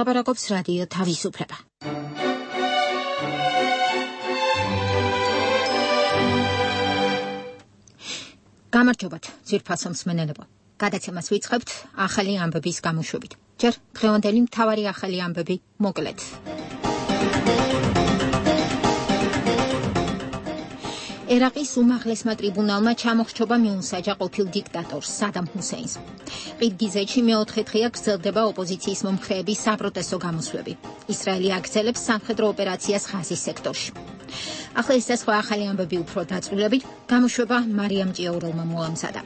ლაპარაკობს რადიო თავისუფლება. გამარჯობათ, ძვირფასო მსმენელებო. გადაცემას ვიწყებთ ახალი ამბების გამოშვებით. ჯერ დღევანდელი მთავარი ახალი ამბები მოკლედ. ერაყის უმაღლესმა ტრიბუნალმა ჩამოხრჩობა მიუსაჯა ყოფილ დიქტატორს სადამ ჰუსეინს. ყირგიზეთში მეოთხე დღეა გრძელდება ოპოზიციის მომხრეების საპროტესტო გამოსვლები. ისრაელი აგრძელებს სამხედრო ოპერაციას ღაზის სექტორში. ახლა ეს და სხვა ახალი ამბები უფრო დაწვრილებით, გამოშვება მარიამ ჭიაურელმა მოამზადა.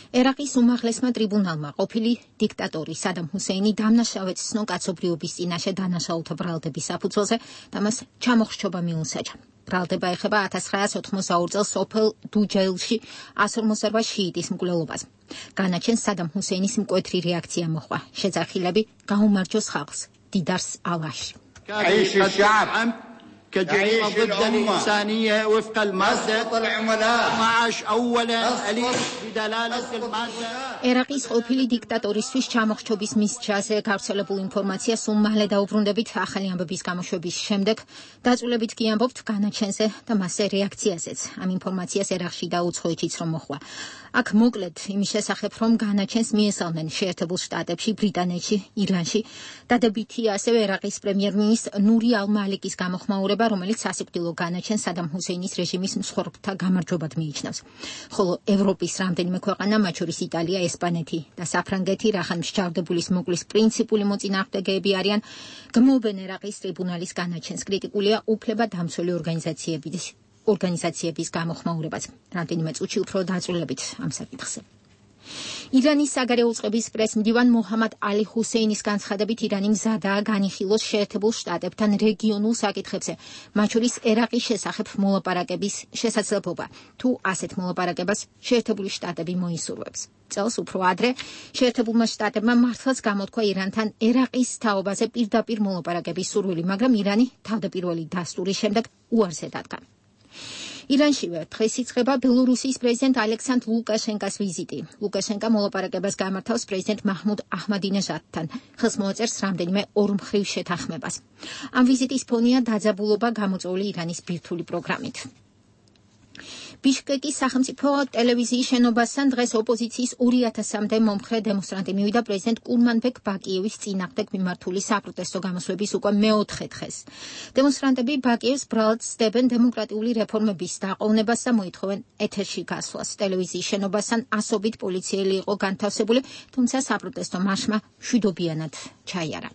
ერაყის უმაღლესმა ტრიბუნალმა ყოფილი დიქტატორი სადამ ჰუსეინი დამნაშავედ ცნო კაცობრიობის წინაშე დანაშაულთა ბრალდების საფუძველზე და მას ჩამოხრჩობა მიუსაჯა. ბრალდება ეხება 1982 წელს სოფელ დუჯეილში 148 შიიტის მკვლელობას. განაჩენს სადამ ჰუსეინის მკვეთრი რეაქცია მოჰყვა. შეძახილები გაუმარჯოს ხალხს, დიდარს ალაში. كجريمة ضد الإنسانية وفق المادة 12 أولا أليس بدلالة المادة. ერაყის ყოფილი დიქტატორისთვის ჩამოხრჩობის მისჯაზე გავრცელებულ ინფორმაციას უმალე დაუბრუნდებით ახალი ამბების გამოშვების შემდეგ. დაწვრილებით კი ამბობთ განაჩენზე და მასზე რეაქციაზეც. ამ ინფორმაციას ერაყში და უცხოეთშიც რომ მოხდა. აქ მოკლედ იმის შესახებ, რომ განაჩენს მიესალმნენ შეერთებულ შტატებში, ბრიტანეთში, ირანში. დადებითია ასევე ერაყის პრემიერ-მინისტრ ნური ალ-მალიკის გამოხმაურება, რომელიც სასიკვდილო განაჩენს სადამ ჰუსეინის რეჟიმის მსხვერპლთა გამარჯვებად მიიჩნევს. ხოლო ევროპის რამდენიმე ქვეყანა, მათ შორის იტალია, ესპანეთი და საფრანგეთი, რახან მსჯავრდებულის მოკვლის პრინციპული მოწინააღმდეგეები არიან, გმობენ ერაყის ტრიბუნალის განაჩენს. კრიტიკულია უფლებადამცველი ორგანიზაციების გამოხმაურებაც. რამდენიმე წუთში უფრო დაწვრილებით ამ საკითხზე. ირანის საგარეო უწყების პრეს-მდივან მოჰამად ალი ჰუსეინის განცხადებით, ირანი მზადაა განიხილოს შეერთებულ შტატებთან რეგიონულ საკითხებზე, მათ შორის ერაყის შესახებ მოლაპარაკების შესაძლებლობა, თუ ასეთ მოლაპარაკებას შეერთებული შტატები მოისურვებს. წელს უფრო ადრე შეერთებულმა შტატებმა მართლაც გამოთქვა ირანთან ერაყის თაობაზე პირდაპირ მოლაპარაკების სურვილი, მაგრამ ირანი თავდაპირველი დასტურის შემდეგ უარზე დადგა. ირანშივე დღეს იწყება ბელორუსიის პრეზიდენტ ალექსანდრ ლუკაშენკას ვიზიტი. ლუკაშენკა მოლაპარაკებას გამართავს პრეზიდენტ მაჰმუდ აჰმადინეჟადთან. ხელს მოაწერს რამდენიმე ორმხრივ შეთანხმებას. ამ ვიზიტის ფონია დაძაბულობა გამოწვეული ირანის ბირთვული პროგრამით. ბიშკეკის სახელმწიფო ტელევიზიის შენობასთან დღეს ოპოზიციის 2000-მდე მომხრე დემონსტრანტი მივიდა პრეზიდენტ კურმანბეკ ბაკიევის წინააღმდეგ მიმართული საპროტესტო გამოსვლების უკვე მეოთხე დღეს. დემონსტრანტები ბაკიევს ბრალად სდებენ დემოკრატიული რეფორმების დაყოვნებას და მოითხოვენ ეთერში გასვლას. ტელევიზიის შენობასთან ასობით პოლიციელი იყო განთავსებული, თუმცა საპროტესტო მარშმა მშვიდობიანად ჩაიარა.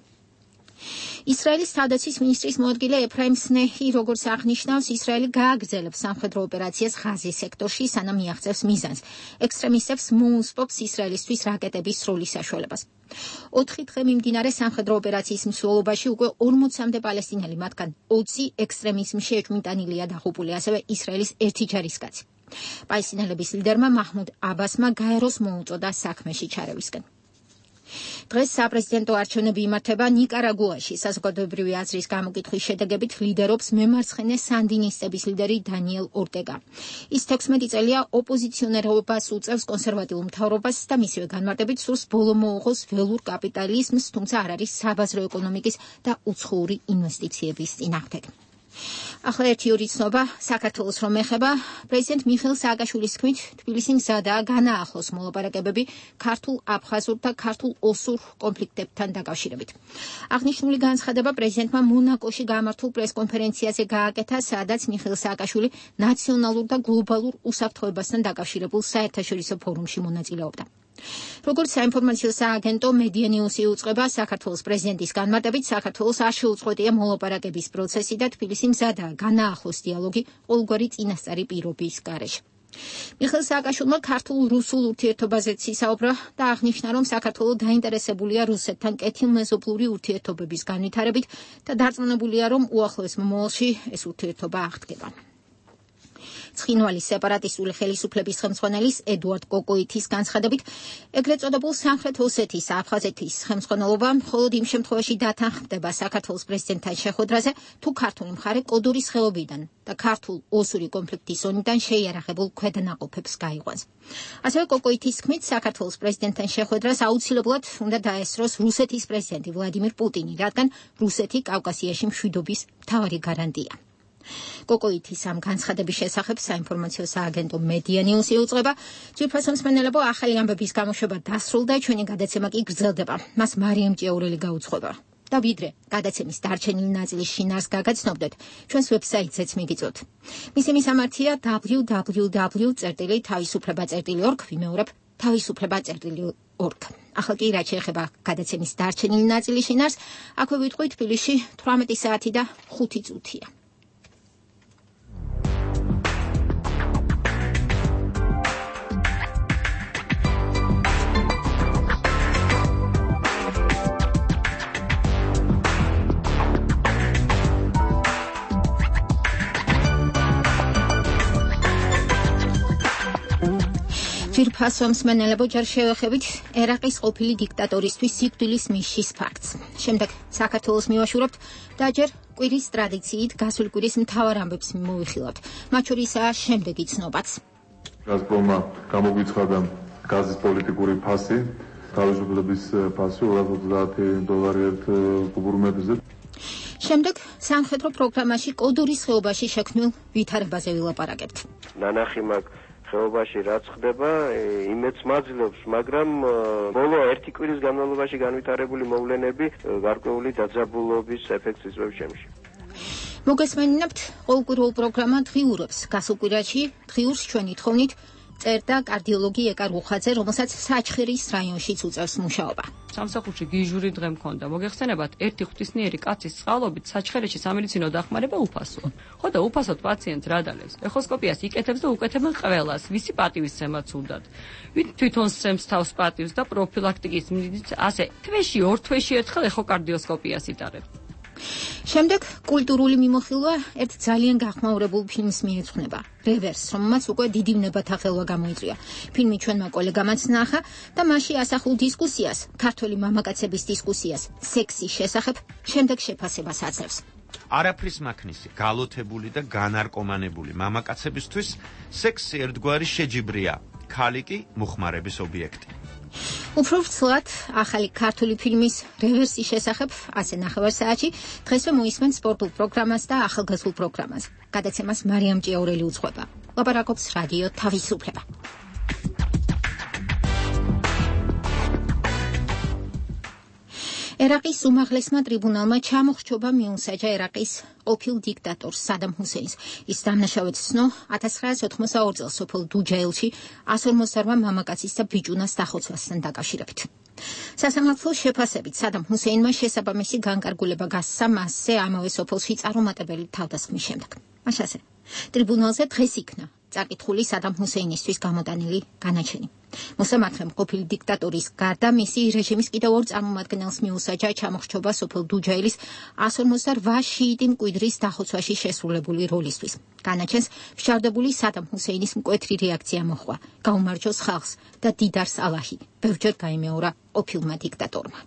ისრაელის თავდაცვის მინისტრის მოადგილე ეფრაიმ სნეჰი, როგორც აღნიშნავს, ისრაელი გააგრძელებს სამხედრო ოპერაციას ღაზის სექტორში, სანამ მიაღწევს მიზანს. ექსტრემისტებს მოუსპობს ისრაელისთვის რაკეტების სროლის საშუალებას. 4 დღე მიმდინარე სამხედრო ოპერაციის მსვლელობაში უკვე 40-მდე პალესტინელი, მათგან 20 ექსტრემიზმში ეჭვმიტანილია დაღუპული, ასევე ისრაელის ერთი ჯარისკაცი. პალესტინელების ლიდერმა მაჰმუდ აბასმა გაეროს მოუწოდა საქმეში ჩარევისკენ. დღეს საპრეზიდენტო არჩევნები იმართება ნიკარაგუაში. საზოგადოებრივი აზრის გამოკითხვის შედეგებით ლიდერობს მემარცხენე სანდინისტების ლიდერი დანიელ ორტეგა. ის 16 წელია ოპოზიციონერობას უწევს კონსერვატიულ მთავრობას და მისივე განმარტებით სურს ბოლო მოუღოს ველურ კაპიტალიზმს, თუმცა არ არის საბაზრო ეკონომიკის და უცხოური ინვესტიციების წინააღმდეგ. ახლა ერთი ორი ცნობა საქართველოს რომ ეხება. პრეზიდენტ მიხეილ სააკაშვილის თქმით, თბილისი მზადაა განაახლოს მოლაპარაკებები ქართულ აფხაზურ და ქართულ ოსურ კონფლიქტებთან დაკავშირებით. აღნიშნული განცხადება პრეზიდენტმა მონაკოში გამართულ პრესკონფერენციაზე გააკეთა, სადაც მიხეილ სააკაშვილი ნაციონალურ და გლობალურ უსაფრთხოებასთან დაკავშირებულ საერთაშორისო ფორუმში მონაწილეობდა. როგორც საინფორმაციო სააგენტო მედია ნიუსი უწყება, საქართველოს პრეზიდენტის განმარტებით, საქართველოს არ შეუწყვეტია მოლაპარაკების პროცესი და თბილისი მზადაა განაახლოს დიალოგი ყოველგვარი წინასწარი პირობის გარეშე. მიხეილ სააკაშვილმა ქართულ-რუსულ ურთიერთობაზეც ისაუბრა და აღნიშნა, რომ საქართველო დაინტერესებულია რუსეთთან კეთილმეზობლური ურთიერთობების განვითარებით და დარწმუნებულია, რომ უახლოეს მომავალში ეს ურთიერთობა აღდგება. ცხინვალის სეპარატისტული ხელისუფლების ხელმძღვანელის ედუარდ კოკოითის განცხადებით, ეგრეთ წოდებულ სამხრეთ ოსეთის და აფხაზეთის ხელმძღვანელობა მხოლოდ იმ შემთხვევაში დათანხმდება საქართველოს პრეზიდენტთან შეხვედრაზე, თუ ქართული მხარე კოდურის ხეობიდან და ქართულ ოსური კონფლიქტის ზონიდან შეიარაღებულ ქვედანაყოფებს გაიყვანს. ასევე კოკოითის თქმით, საქართველოს პრეზიდენტთან შეხვედრას აუცილებლად უნდა დაესწროს რუსეთის პრეზიდენტი ვლადიმირ პუტინი, რადგან რუსეთი კავკასიაში მშვიდობის მთავარი გარანტია. კოკოითის ამ განცხადების შესახებ საინფორმაციო სააგენტო მედია ნიუსი უწყება, ძვირფასო მსმენელებო, ახალი ამბების გამოშვება დასრულდა, ჩვენი გადაცემა კი გრძელდება. მას მარიამ ჭიაურელი გაუძღვება. და ვიდრე გადაცემის დარჩენილი ნაწილის შინაარსს გაგაცნობდეთ, ჩვენს ვებსაიტზეც მიგიწვევთ. მისი მისამართია www.თავისუფლება.org, ვიმეორებ, თავისუფლება.org. ახლა კი რაც შეეხება გადაცემის დარჩენილი ნაწილის შინაარსს, აქვე ვიტყვით თბილისში 18 საათი და 5 წუთია. ძვირფასო მსმენელებო, ჯერ შევეხებით ერაყის ყოფილი დიქტატორისთვის სიკვდილის მისშის ფაქტს. შემდეგ საქართველოს მივაშურებთ და ჯერ კვირის ტრადიციით გასული კვირის მთავარ ამბებს მოვიხილავთ. მათ შორისაა შემდეგი ცნობაც. გაზპრომმა გამოგვიცხადა გაზის პოლიტიკური ფასი, თავისუფლების ფასი $230 ერთ კუბურმეტრზე. შემდეგ სამხედრო პროგრამაში კოდურის ხეობაში შექმნილ ვითარებაზე ვილაპარაკებთ. ნანახი მაგ ხეობაში რაც ხდება, იმედს მაძლევს, მაგრამ ბოლო ერთი კვირის განმავლობაში განვითარებული მოვლენები გარკვეული დაძაბულობის ეფექტს იწვევს ჩემში. მოგესმენინებთ, ყოველკვირეულ პროგრამა დღიურობს. გასულ კვირაში დღიურს ჩვენი თხოვნით წერდა კარდიოლოგი ეკა რუხაძე, რომელსაც საჩხერის რაიონშიც უწევს მუშაობა. სამსახურში გიჟური დღე მქონდა. მოგეხსენებათ, ერთი ღვთისმიერი კაცის წყალობით საჩხერეში სამედიცინო დახმარება უფასოა. ხო და უფასოდ პაციენტს რა დალევს? ეხოსკოპიას იკეთებს და უკეთებენ ყველას, ვისი პატივისცემაც უნდათ. ვით თვითონ სცემს თავს პატივს და პროფილაქტიკის მიზნით ასე თვეში, ორ თვეში ერთხელ ეხოკარდიოსკოპიას იტარებს. შემდეგ კულტურული მიმოხილვა ერთ ძალიან გახმაურებულ ფილმს მიეძღვნება. რევერსს, რომელმაც უკვე დიდი ვნებათა ხელვა გამოიწვია. ფილმი ჩვენმა კოლეგამაც ნახა და მასში ასახულ დისკუსიას, ქართველი მამაკაცების დისკუსიას, სექსის შესახებ, შემდეგ შეფასებას აძლევს. არაფრის მაქნისი, გალოთებული და განარკომანებული მამაკაცებისთვის სექსი ერთგვარი შეჯიბრია, ქალი კი მოხმარების ობიექტი. უფრო ვრცლად ახალი ქართული ფილმის რევერსის შესახებ ასე ნახევარსაათში დღესვე მოისმენ სპორტულ პროგრამას და ახალგაზრდულ პროგრამას. გადაცემას მარიამ ჭიაურელი უძღვება. ლაპარაკობს რადიო თავისუფლება. ერაყის უმაღლესმა ტრიბუნალმა ჩამოხრჩობა მიუსაჯა ერაყის ყოფილ დიქტატორს სადამ ჰუსეინს. ის დამნაშავედ ცნო 1982 წელს სოფელ დუჯაილში 158 მამაკაცის და ბიჭუნას დახოცვასთან დაკავშირებით. სასამართლოს შეფასებით სადამ ჰუსეინმა შესაბამისი განკარგულება გასცა მასზე ამავე სოფელში წარუმატებელი თავდასხმის შემდეგ. მაშასე ტრიბუნალზე დღეს იქნა წაკითხული სადამ ჰუსეინისთვის გამოტანილი განაჩენი. მოსამართლემ ყოფილი დიქტატორის გარდა მისი რეჟიმის კიდევ ორ წარმომადგენელს მიუსაჯა ჩამოხრჩობა სოფელ დუჯაილის 158 შიიტი მკვიდრის დახოცვაში შესრულებული როლისთვის. განაჩენს ფშარდებული სადამ ჰუსეინის მკვეთრი რეაქცია მოჰყვა. გაუმარჯოს ხალხს და დიდარს ალაჰი. ბევრჯერ გაიმეორა ყოფილმა დიქტატორმა.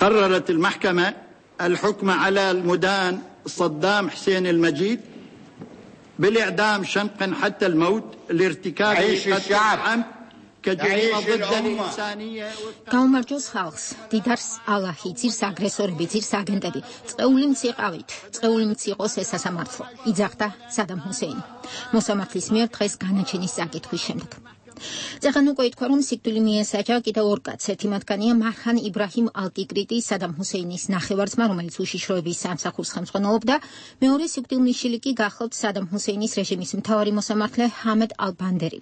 قررت المحكمة الحكم على المدان صدام حسين المجيد بالإعدام شنقا حتى الموت لارتكاب قتل عمد كجريمة ضد الإنسانية. გაუმარჯოს ხალხს, დიდარს ალაჰი, ძირს აგრესორები, ძირს აგენტები, წეული მციყავით, წეული მციყოს ეს სასამართლო. იძახდა სადამ ჰუსეინი. მოსამართლის მიერ დღეს განაჩენის წაკითხვის შემდეგ. წეგან უკვე ითქვა, რომ სიკვდილი მიესაჯა კიდევ ორ კაცს. ერთი მათგანია მარხან იბრაჰიმ ალ-ტიკრიტი, სადამ ჰუსეინის ნახევარ-ძმა, რომელიც უშიშროების სამსახურს ხელმძღვანელობდა. მეორე სიკვდილმიშილი კი გახლავთ სადამ ჰუსეინის რეჟიმის მთავარი მოსამართლე ჰამედ ალ-ბანდერი.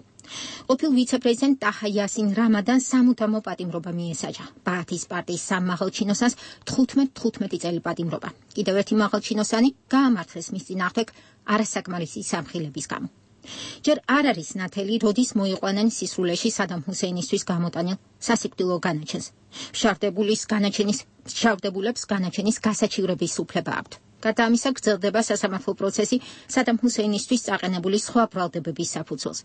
ყოფილ ვიცე-პრეზიდენტ ტაჰა იასინ რამადანს სამუდამო პატიმრობა მიესაჯა. ბაათის პარტიის სამ მაღალჩინოსანს 15 წელი პატიმრობა. კიდევ ერთი მაღალჩინოსანი გაამართლეს მის წინააღმდეგ არასაკმარისი სამხილების გამო. ჯერ არ არის ნათელი, როდის მოიყვანენ სისრულეში სადამ ჰუსეინისთვის გამოტანილ სასიკვდილო განაჩენს. მშავდებულებს განაჩენის გასაჩივრების უფლება აქვთ. გარდა ამისა, გრძელდება სასამართლო პროცესი სადამ ჰუსეინისთვის წაყენებული სხვა ბრალდებების საფუძველზე.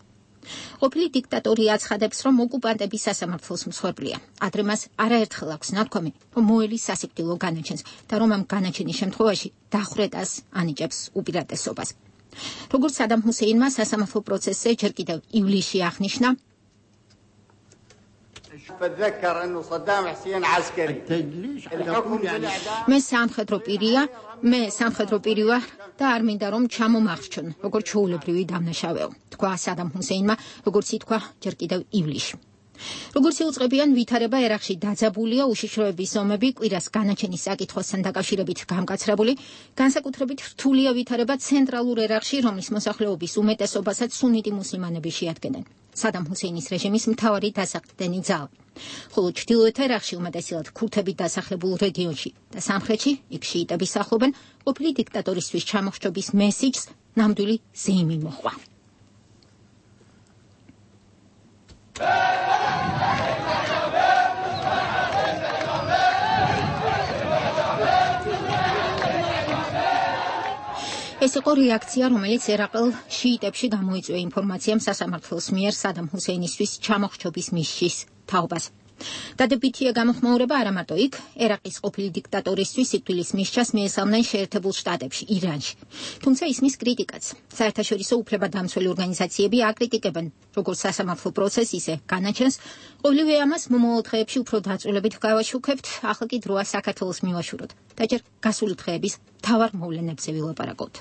ყოფილი დიქტატორი აცხადებს, რომ ოკუპანტები სასამართლოს მსხვერპლია. ადრე მას არაერთხელ აქვს ნათქვამი, რომ მოელის სასიკვდილო განაჩენს და რომ ამ განაჩენის შემთხვევაში დახვრეტას ანიჭებს უპირატესობას. როგორც სადამ ჰუსეინმა სასამართლო პროცესზე ჯერ კიდევ ივლისში აღნიშნა, მე სამხედრო პირი ვარ და არ მინდა რომ ჩამომახრჩონ, როგორც ჩვეულებრივი დამნაშავეო, თქვა სადამ ჰუსეინმა, როგორც ითქვა ჯერ კიდევ ივლისში. როგორც იუწყებიან, ვითარება ერაყში დაძაბულია, უშიშროების ზომები კვირას განაჩენის საკითხოსთან დაკავშირებით გამკაცრებული, განსაკუთრებით რთულია ვითარება ცენტრალურ ერაყში, რომლის მოსახლეობის უმეტესობასაც სუნიტი მუსლიმანები შეადგენენ. სადამ ჰუსეინის რეჟიმის მთავარი დასაყრდენი ძალა. ხოლო ჩრდილოეთ ერაყში უმეტესად ქურთებით დასახლებულ რეგიონში და სამხრეთში იქ შიიტები სახლობენ, ყოფილი დიქტატორისთვის ჩამოხრჩობის მესიჯს ნამდვილი ზეიმი მოჰყვა. ეს იყო რეაქცია, რომელიც ერაყელ შიიტებში გამოიწვია ინფორმაციამ სასამართლოს მიერ სადამ ჰუსეინისთვის ჩამოხრჩობის მისჯის თაობას. დადებითია გამოხმაურება არა მარტო იქ, ერაყის ყოფილი დიქტატორისთვის სიკვდილის მისჯას მიესალმნენ შეერთებულ შტატებში, ირანში. თუმცა ისმის კრიტიკაც. საერთაშორისო უფლებადამცველი ორგანიზაციები აკრიტიკებენ როგორც სასამართლო პროცესს, ისე განაჩენს. ყოველივე ამას მომავალ დღეებში უფრო დაწვრილებით გავაშუქებთ, ახლა კი დროა საქართველოს მივაშუროთ და ჯერ გასული დღეების მთავარ მოვლენებზე ვილაპარაკოთ.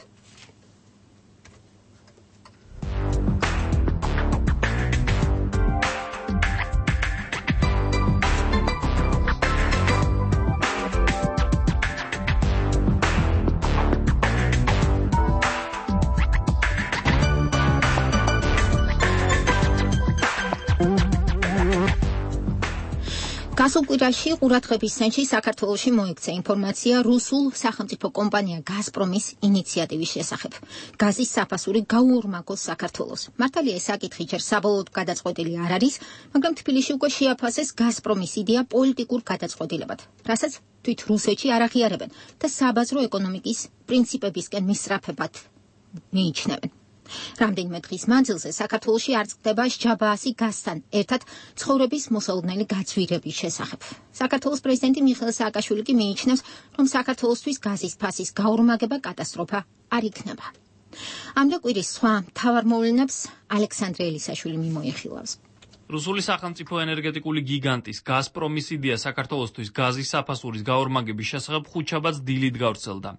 გასულ კვირაში ყურადღების ცენტრში საქართველოში მოექცა ინფორმაცია რუსულ სახელმწიფო კომპანია გაზპრომის ინიციატივის შესახებ. გაზის საფასური გაუორმაგოს საქართველოს. მართალია ეს საკითხი ჯერ საბოლოოდ გადაწყვეტილი არ არის, მაგრამ თბილისში უკვე შეაფასეს გაზპრომის იდეა პოლიტიკურ გადაწყვეტილებად, რასაც თვით რუსეთში არ აღიარებენ და საბაზრო ეკონომიკის პრინციპებისკენ მისწრაფებად მიიჩნევენ. რამდენიმე დღის მანძილზე საქართველოში არ წყდება სჯაბაასი გაზთან ერთად ცხოვრების მოსალოდნელი გაძვირების შესახებ. საქართველოს პრეზიდენტი მიხეილ სააკაშვილი კი მიიჩნევს, რომ საქართველოსთვის გაზის ფასის გაორმაგება კატასტროფა არ იქნება. ამ და კვირის სხვა მთავარ მოვლენებს ალექსანდრე ელისაშვილი მიმოიხილავს. რუსული სახელმწიფო ენერგეტიკული გიგანტის გაზპრომის იდეა საქართველოსთვის გაზის საფასურის გაორმაგების შესახებ ხუთშაბათს დილით გავრცელდა.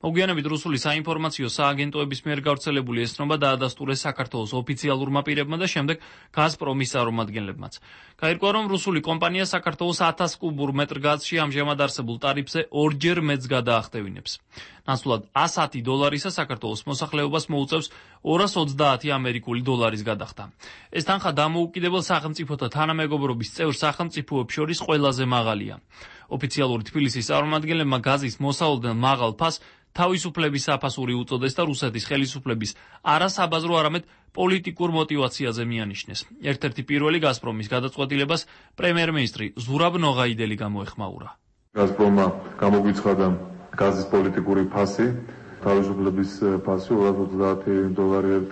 მოგვიანებით რუსული საინფორმაციო სააგენტოების მიერ გავრცელებული ეს ცნობა დაადასტურეს საქართველოს ოფიციალურმა პირებმა და შემდეგ გაზპრომის წარმომადგენლებმაც. გაირკვა, რომ რუსული კომპანია საქართველოს 1000 კუბურ მეტრ გაზში ამჟამად არსებულ ტარიფზე ორჯერ მეტს გადაახტევინებს. ნაცვლად $110 საქართველოს მოსახლეობას მოუწევს 230 ამერიკული დოლარის გადახდა. ეს თანხა დამოუკიდებელ სახელმწიფოთა თანამეგობრობის წევრ სახელმწიფოებს შორის ყველაზე მაღალია. ოფიციალური თბილისის წარმომადგენლებმა გაზის მოსალოდნელ მაღალ ფასს თავისუფლების საფასური უწოდეს და რუსეთის ხელისუფლების არასაბაზრო, არამედ პოლიტიკურ мотивაციაზე მიანიშნეს. ერთ-ერთი პირველი გაზპრომის გადაწყვეტილებას პრემიერ-მინისტრი ზურაბ ნოღაიდელი გამოეხმაურა. გაზპრომმა გამოგვიცხადა გაზის პოლიტიკური ფასი, თავისუფლების ფასი $230 ერთ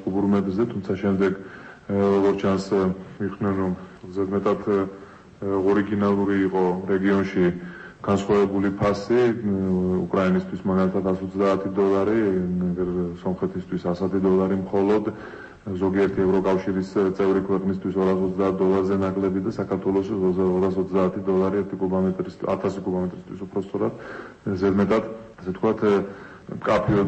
კუბურ მეტრზე, თუმცა შემდეგ როგორც ჩანს მიხდნენ, რომ ზედმეტად ორიგინალური იყო რეგიონში განსხვავებული ფასი, უკრაინისთვის მაგალითად $130, სომხეთისთვის $100 მხოლოდ, ზოგიერთი ევროკავშირის წევრი ქვეყნისთვის $230-ზე ნაკლები და საქართველოს $230 1 კუბომეტრისთვის, 1000 კუბომეტრისთვის უფრო სწორად, ზედმეტად, ასე ვთქვათ, მკაფიო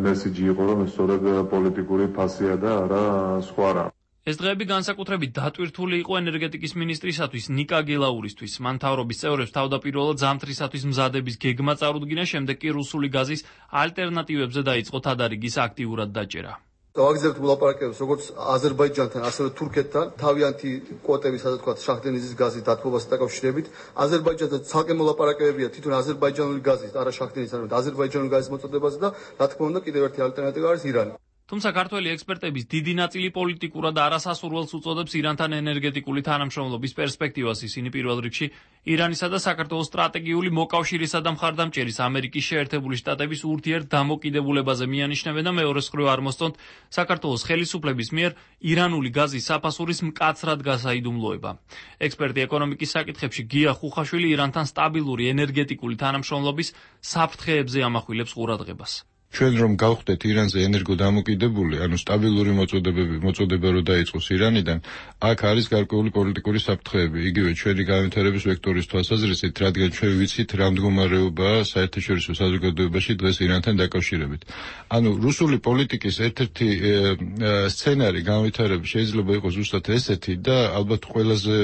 მესიჯი იყო, რომ ეს სწორედ პოლიტიკური ფასია და არა სხვა რა. ეს დღეები განსაკუთრებით დატვირთული იყო ენერგეტიკის მინისტრისათვის ნიკა გელაურისთვის. მან მთავრობის წევრებს თავდაპირველად ზამთრისათვის მზადების გეგმა წარუდგინა, შემდეგ კი რუსული გაზის ალტერნატივებზე დაიწყო თადარიგის აქტიურად დაჭერა. ვაგზავნებთ მოლაპარაკებებს როგორც აზერბაიჯანთან, ასევე თურქეთთან, თავიანთი კვოტების, ასე ვთქვათ, შახტენიზის გაზის დათბობასთან დაკავშირებით. აზერბაიჯანთან ცალკე მოლაპარაკებებია თვითონ აზერბაიჯანული გაზის, არა შახტენის, არამედ აზერბაიჯანული გაზის მოწოდებაზე და რა თქმა უნდა, კიდევ ერთი ალტერნატივა არის ირანი. თუმცა ქართველი ექსპერტების დიდი ნაწილი პოლიტიკურად არასასურველს უწოდებს ირანთან ენერგეტიკული თანამშრომლობის პერსპექტივას. ისინი პირველ რიგში ირანისა და საქართველოს სტრატეგიული მოკავშირისა და მხარდამჭერის ამერიკის შეერთებული შტატების ურთიერთდამოკიდებულებაზე მიანიშნებენ და მეორეს მხრივ არ მოსწონთ საქართველოს ხელისუფლების მიერ ირანული გაზის საფასურის მკაცრად გასაიდუმლოება. ექსპერტი ეკონომიკის საკითხებში გია ხუხაშვილი ირანთან სტაბილური ენერგეტიკული თანამშრომლობის საფრთხეებზე ამახვილებს ყურადღებას. ჩვენ რომ გავხდეთ ირანზე ენერგოდამოკიდებული, ანუ სტაბილური მოწოდება რო დაიწყოს ირანიდან, აქ არის გარკვეული პოლიტიკური საფრთხეები, იგივე ჩვენი განვითარების ვექტორის თვალსაზრისით, რადგან ჩვენ ვიცით რა მდგომარეობაა საერთაშორისო საზოგადოებაში დღეს ირანთან დაკავშირებით. ანუ რუსული პოლიტიკის ერთ-ერთი სცენარი განვითარების შეიძლება იყოს ზუსტად ესეთი და ალბათ ყველაზე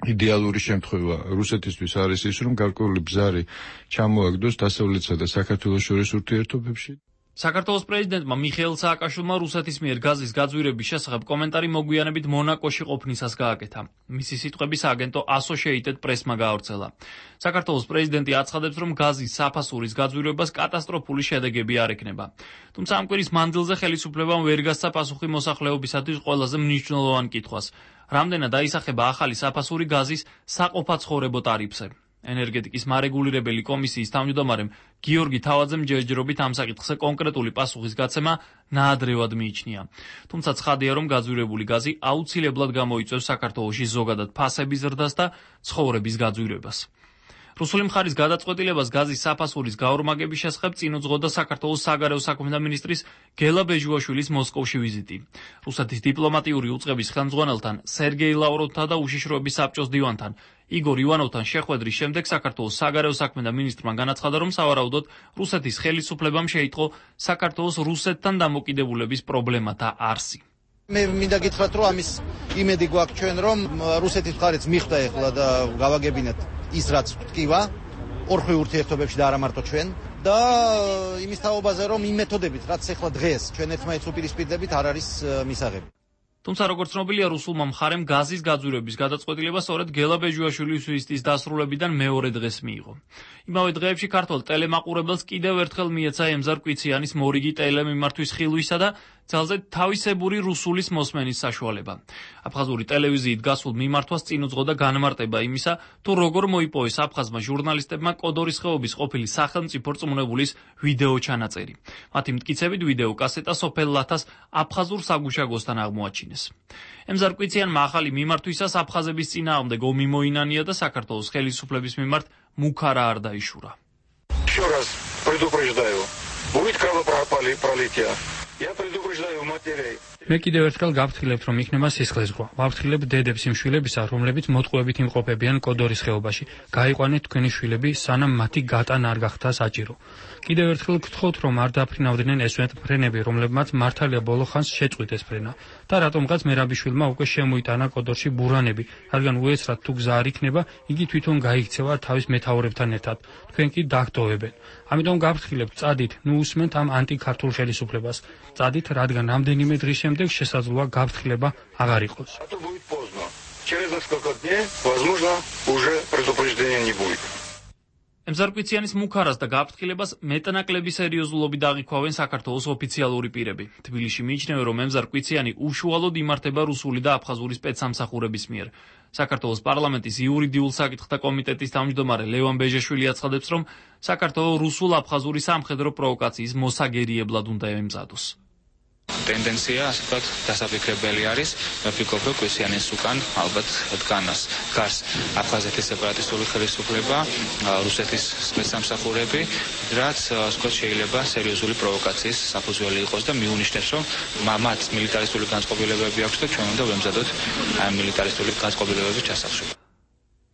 იდეალური შემთხვევა რუსეთისთვის არის ის, რომ გარკვეული ბზარი ჩამოაგდოს დასავლეთსა და საქართველოს შორის ურთიერთობებში. საქართველოს პრეზიდენტმა მიხეილ სააკაშვილმა რუსეთის მიერ გაზის გაძვირების შესახებ კომენტარი მოგვიანებით მონაკოში ყოფნისას გააკეთა. მისი სიტყვების აგენტო Associated Press-მა გაავრცელა. საქართველოს პრეზიდენტი აცხადებს, რომ გაზის საფასურის გაძვირებას კატასტროფული შედეგები არ ექნება. თუმცა ამ კვირის მანძილზე ხელისუფლებამ ვერ გასცა პასუხი მოსახლეობისათვის ყველაზე მნიშვნელოვან კითხვას. რამდენად აისახება ახალი საფასური გაზის საყოფაცხოვრებო ტარიფზე. ენერგეტიკის მარეგულირებელი კომისიის თავმჯდომარემ გიორგი თავაძემ ჯერჯერობით ამ საკითხზე კონკრეტული პასუხის გაცემა ნაადრევად მიიჩნია. თუმცა ცხადია, რომ გაძვირებული გაზი აუცილებლად გამოიწვევს საქართველოში ზოგადად ფასების ზრდას და ცხოვრების გაძვირებას. რუსული მხარის გადაწყვეტილებას გაზის საფასურის გაორმაგების შესახებ წინ უძღოდა საქართველოს საგარეო საქმეთა მინისტრის გელა ბეჟუაშვილის მოსკოვში ვიზიტი. რუსეთის დიპლომატიური უწყების ხელმძღვანელთან, სერგეი ლავროვთან და უშიშროების საბჭოს დივანთან, იგორ ივანოვთან შეხვედრის შემდეგ საქართველოს საგარეო საქმეთა მინისტრმა განაცხადა, რომ სავარაუდოდ რუსეთის ხელისუფლებამ შეიტყო საქართველოს რუსეთთან დამოკიდებულების პრობლემათა არსი. მე მინდა გითხრათ, რომ ამის იმედი გვაქვს ჩვენ, რომ რუსეთის მხარეც მიხვდა ეხლა და გავაგებინეთ ის რაც ვთქვა ორხვი ურთიერთობებში და არა მარტო ჩვენ და იმის თაობაზე რომ იმ მეთოდებით რაც ეხლა დღეს ჩვენ ერთმანეთს უპირისპირდებით არ არის მისაღები. თუმცა როგორც ცნობილია, რუსულმა მხარემ გაზის გაძვირების გადაწყვეტილება სწორედ გელა ბეჟუაშვილის ვიზიტის დასრულებიდან მეორე დღეს მიიღო. იმავე დღეებში ქართველ ტელემაყურებელს კიდევ ერთხელ მიეცა ემზარ კვიციანის მორიგი ტელემიმართვის ხილვისა და ძალზე თავისებური რუსულის მოსმენის საშუალება. აფხაზური ტელევიზიით გასულ მიმართვას წინ უძღოდა განმარტება იმისა, თუ როგორ მოიპოვეს აფხაზმა ჟურნალისტებმა კოდორის ხეობის ყოფილი სახელმწიფო რწმუნებულის ვიდეო ჩანაწერი. მათი მტკიცებით ვიდეო კასეტა სოფელ ლათას აფხაზურ საგუშაგოსთან აღმოაჩინეს. ემზარ კვიციანმა ახალი მიმართვისას აფხაზების წინააღმდეგ ომი მოინანია და საქართველოს ხელისუფლების მიმართ მუქარა არ დაიშურა. Еще раз предупреждаю, будет кровопролитие. Я предупреждаю матерей. მე კიდევ ერთხელ გავფრთხილებთ, რომ იქნება სისხლისღვრა. ვაფრთხილებ დედებს იმ შვილებისა, რომლებიც მოტყუებით იმყოფებიან კოდორის ხეობაში. გაიყვანეთ თქვენი შვილები, სანამ მათი გატანა არ გახდა საჭირო. კიდევ ერთხელ გთხოვთ, რომ არ დაფრინავდნენ ესვენ ფრენები, რომლებმაც მართალია ბოლო ხანს შეწყვიტეს ფრენა. და რატომღაც მერაბიშვილმა უკვე შემოიტანა კოდორში ბურანები, რადგან უეცრად თუ გზა არ იქნება, იგი თვითონ გაიქცევა თავის მეთაურებთან ერთად. თქვენ კი დაგტოვებენ. ამიტომ გავფრთხილებთ, წადით, ნუ უსმენთ ამ ანტიქართულ ხელისუფლებას. წადით, რადგან რამდენიმე დღის შემდეგ შესაძლოა გაფრთხილება აღარ იყოს. Через несколько дней, возможно, уже предупреждения не будет. ემზარ კვიციანის მუქარას და გაფრთხილებას მეტნაკლები სერიოზულობით აღიქვავენ საქართველოს ოფიციალური პირები. თბილისში მიიჩნევენ, რომ ემზარ კვიციანი უშუალოდ იმართება რუსული და აფხაზური სპეცსამსახურების მიერ. საქართველოს პარლამენტის იურიდიულ საკითხთა კომიტეტის თავმჯდომარე ლევან ბეჟაშვილი აცხადებს, რომ საქართველოს რუსულ-აფხაზური სამხედრო პროვოკაციის მოსაგერიებლად უნდა ემზადოს. ტენდენცია, ასე ვთქვათ, დასაფიქრებელი არის. მე ვფიქრობ, რომ კვიციანის უკან ალბათ დგას აფხაზეთის სეპარატისტული ხელისუფლება, რუსეთის სპეცსამსახურები, რაც ვთქვათ, შეიძლება სერიოზული პროვოკაციის საფუძველი იყოს და მიუნიშნებს, რომ მათ მილიტარისტული განწყობილებები აქვს და ჩვენ უნდა ვემზადოთ ამ მილიტარისტული განწყობილებების ჩასახშობა.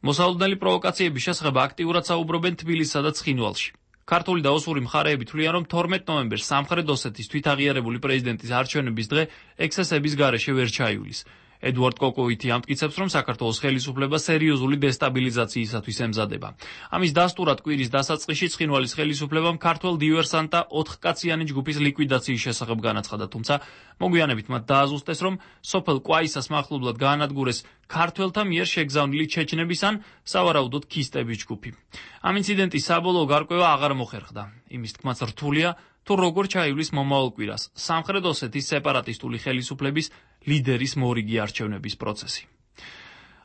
მოსალოდნელი პროვოკაციების შესახებ აქტიურად საუბრობენ თბილისსა და ცხინვალში. ქართული და ოსური მხარეები თვლიან, რომ 12 ნოემბერს სამხრეთ ოსეთის თვითაღიარებული პრეზიდენტის არჩევნების დღე ექსცესების გარეშე ვერ ჩაივლის. ედუარდ კოკოვითი ამტკიცებს, რომ საქართველოს ხელისუფლება სერიოზული დესტაბილიზაციისათვის ემზადება. ამის დასტურად კვირის დასაწყისში ცხინვალის ხელისუფლებამ ქართველ დივერსანტთა 4-კაციანი ჯგუფის ლიკვიდაციის შესახებ განაცხადა, თუმცა მოგვიანებით მათ დააზუსტეს, რომ სოფელ კვაისას მახლობლად გაანადგურეს ქართველთა მიერ შეგზავნილი ჩეჩნების ან სავარაუდოდ ქისტების ჯგუფი. ამ ინციდენტის საბოლოო გარკვევა აღარ მოხერხდა. იმის თქმაც რთულია, თუ როგორ ჩაივლის მომავალ კვირას სამხრეთ ოსეთის სეპარატისტული ხელისუფლების ლიდერის მორიგი არჩევნების პროცესი.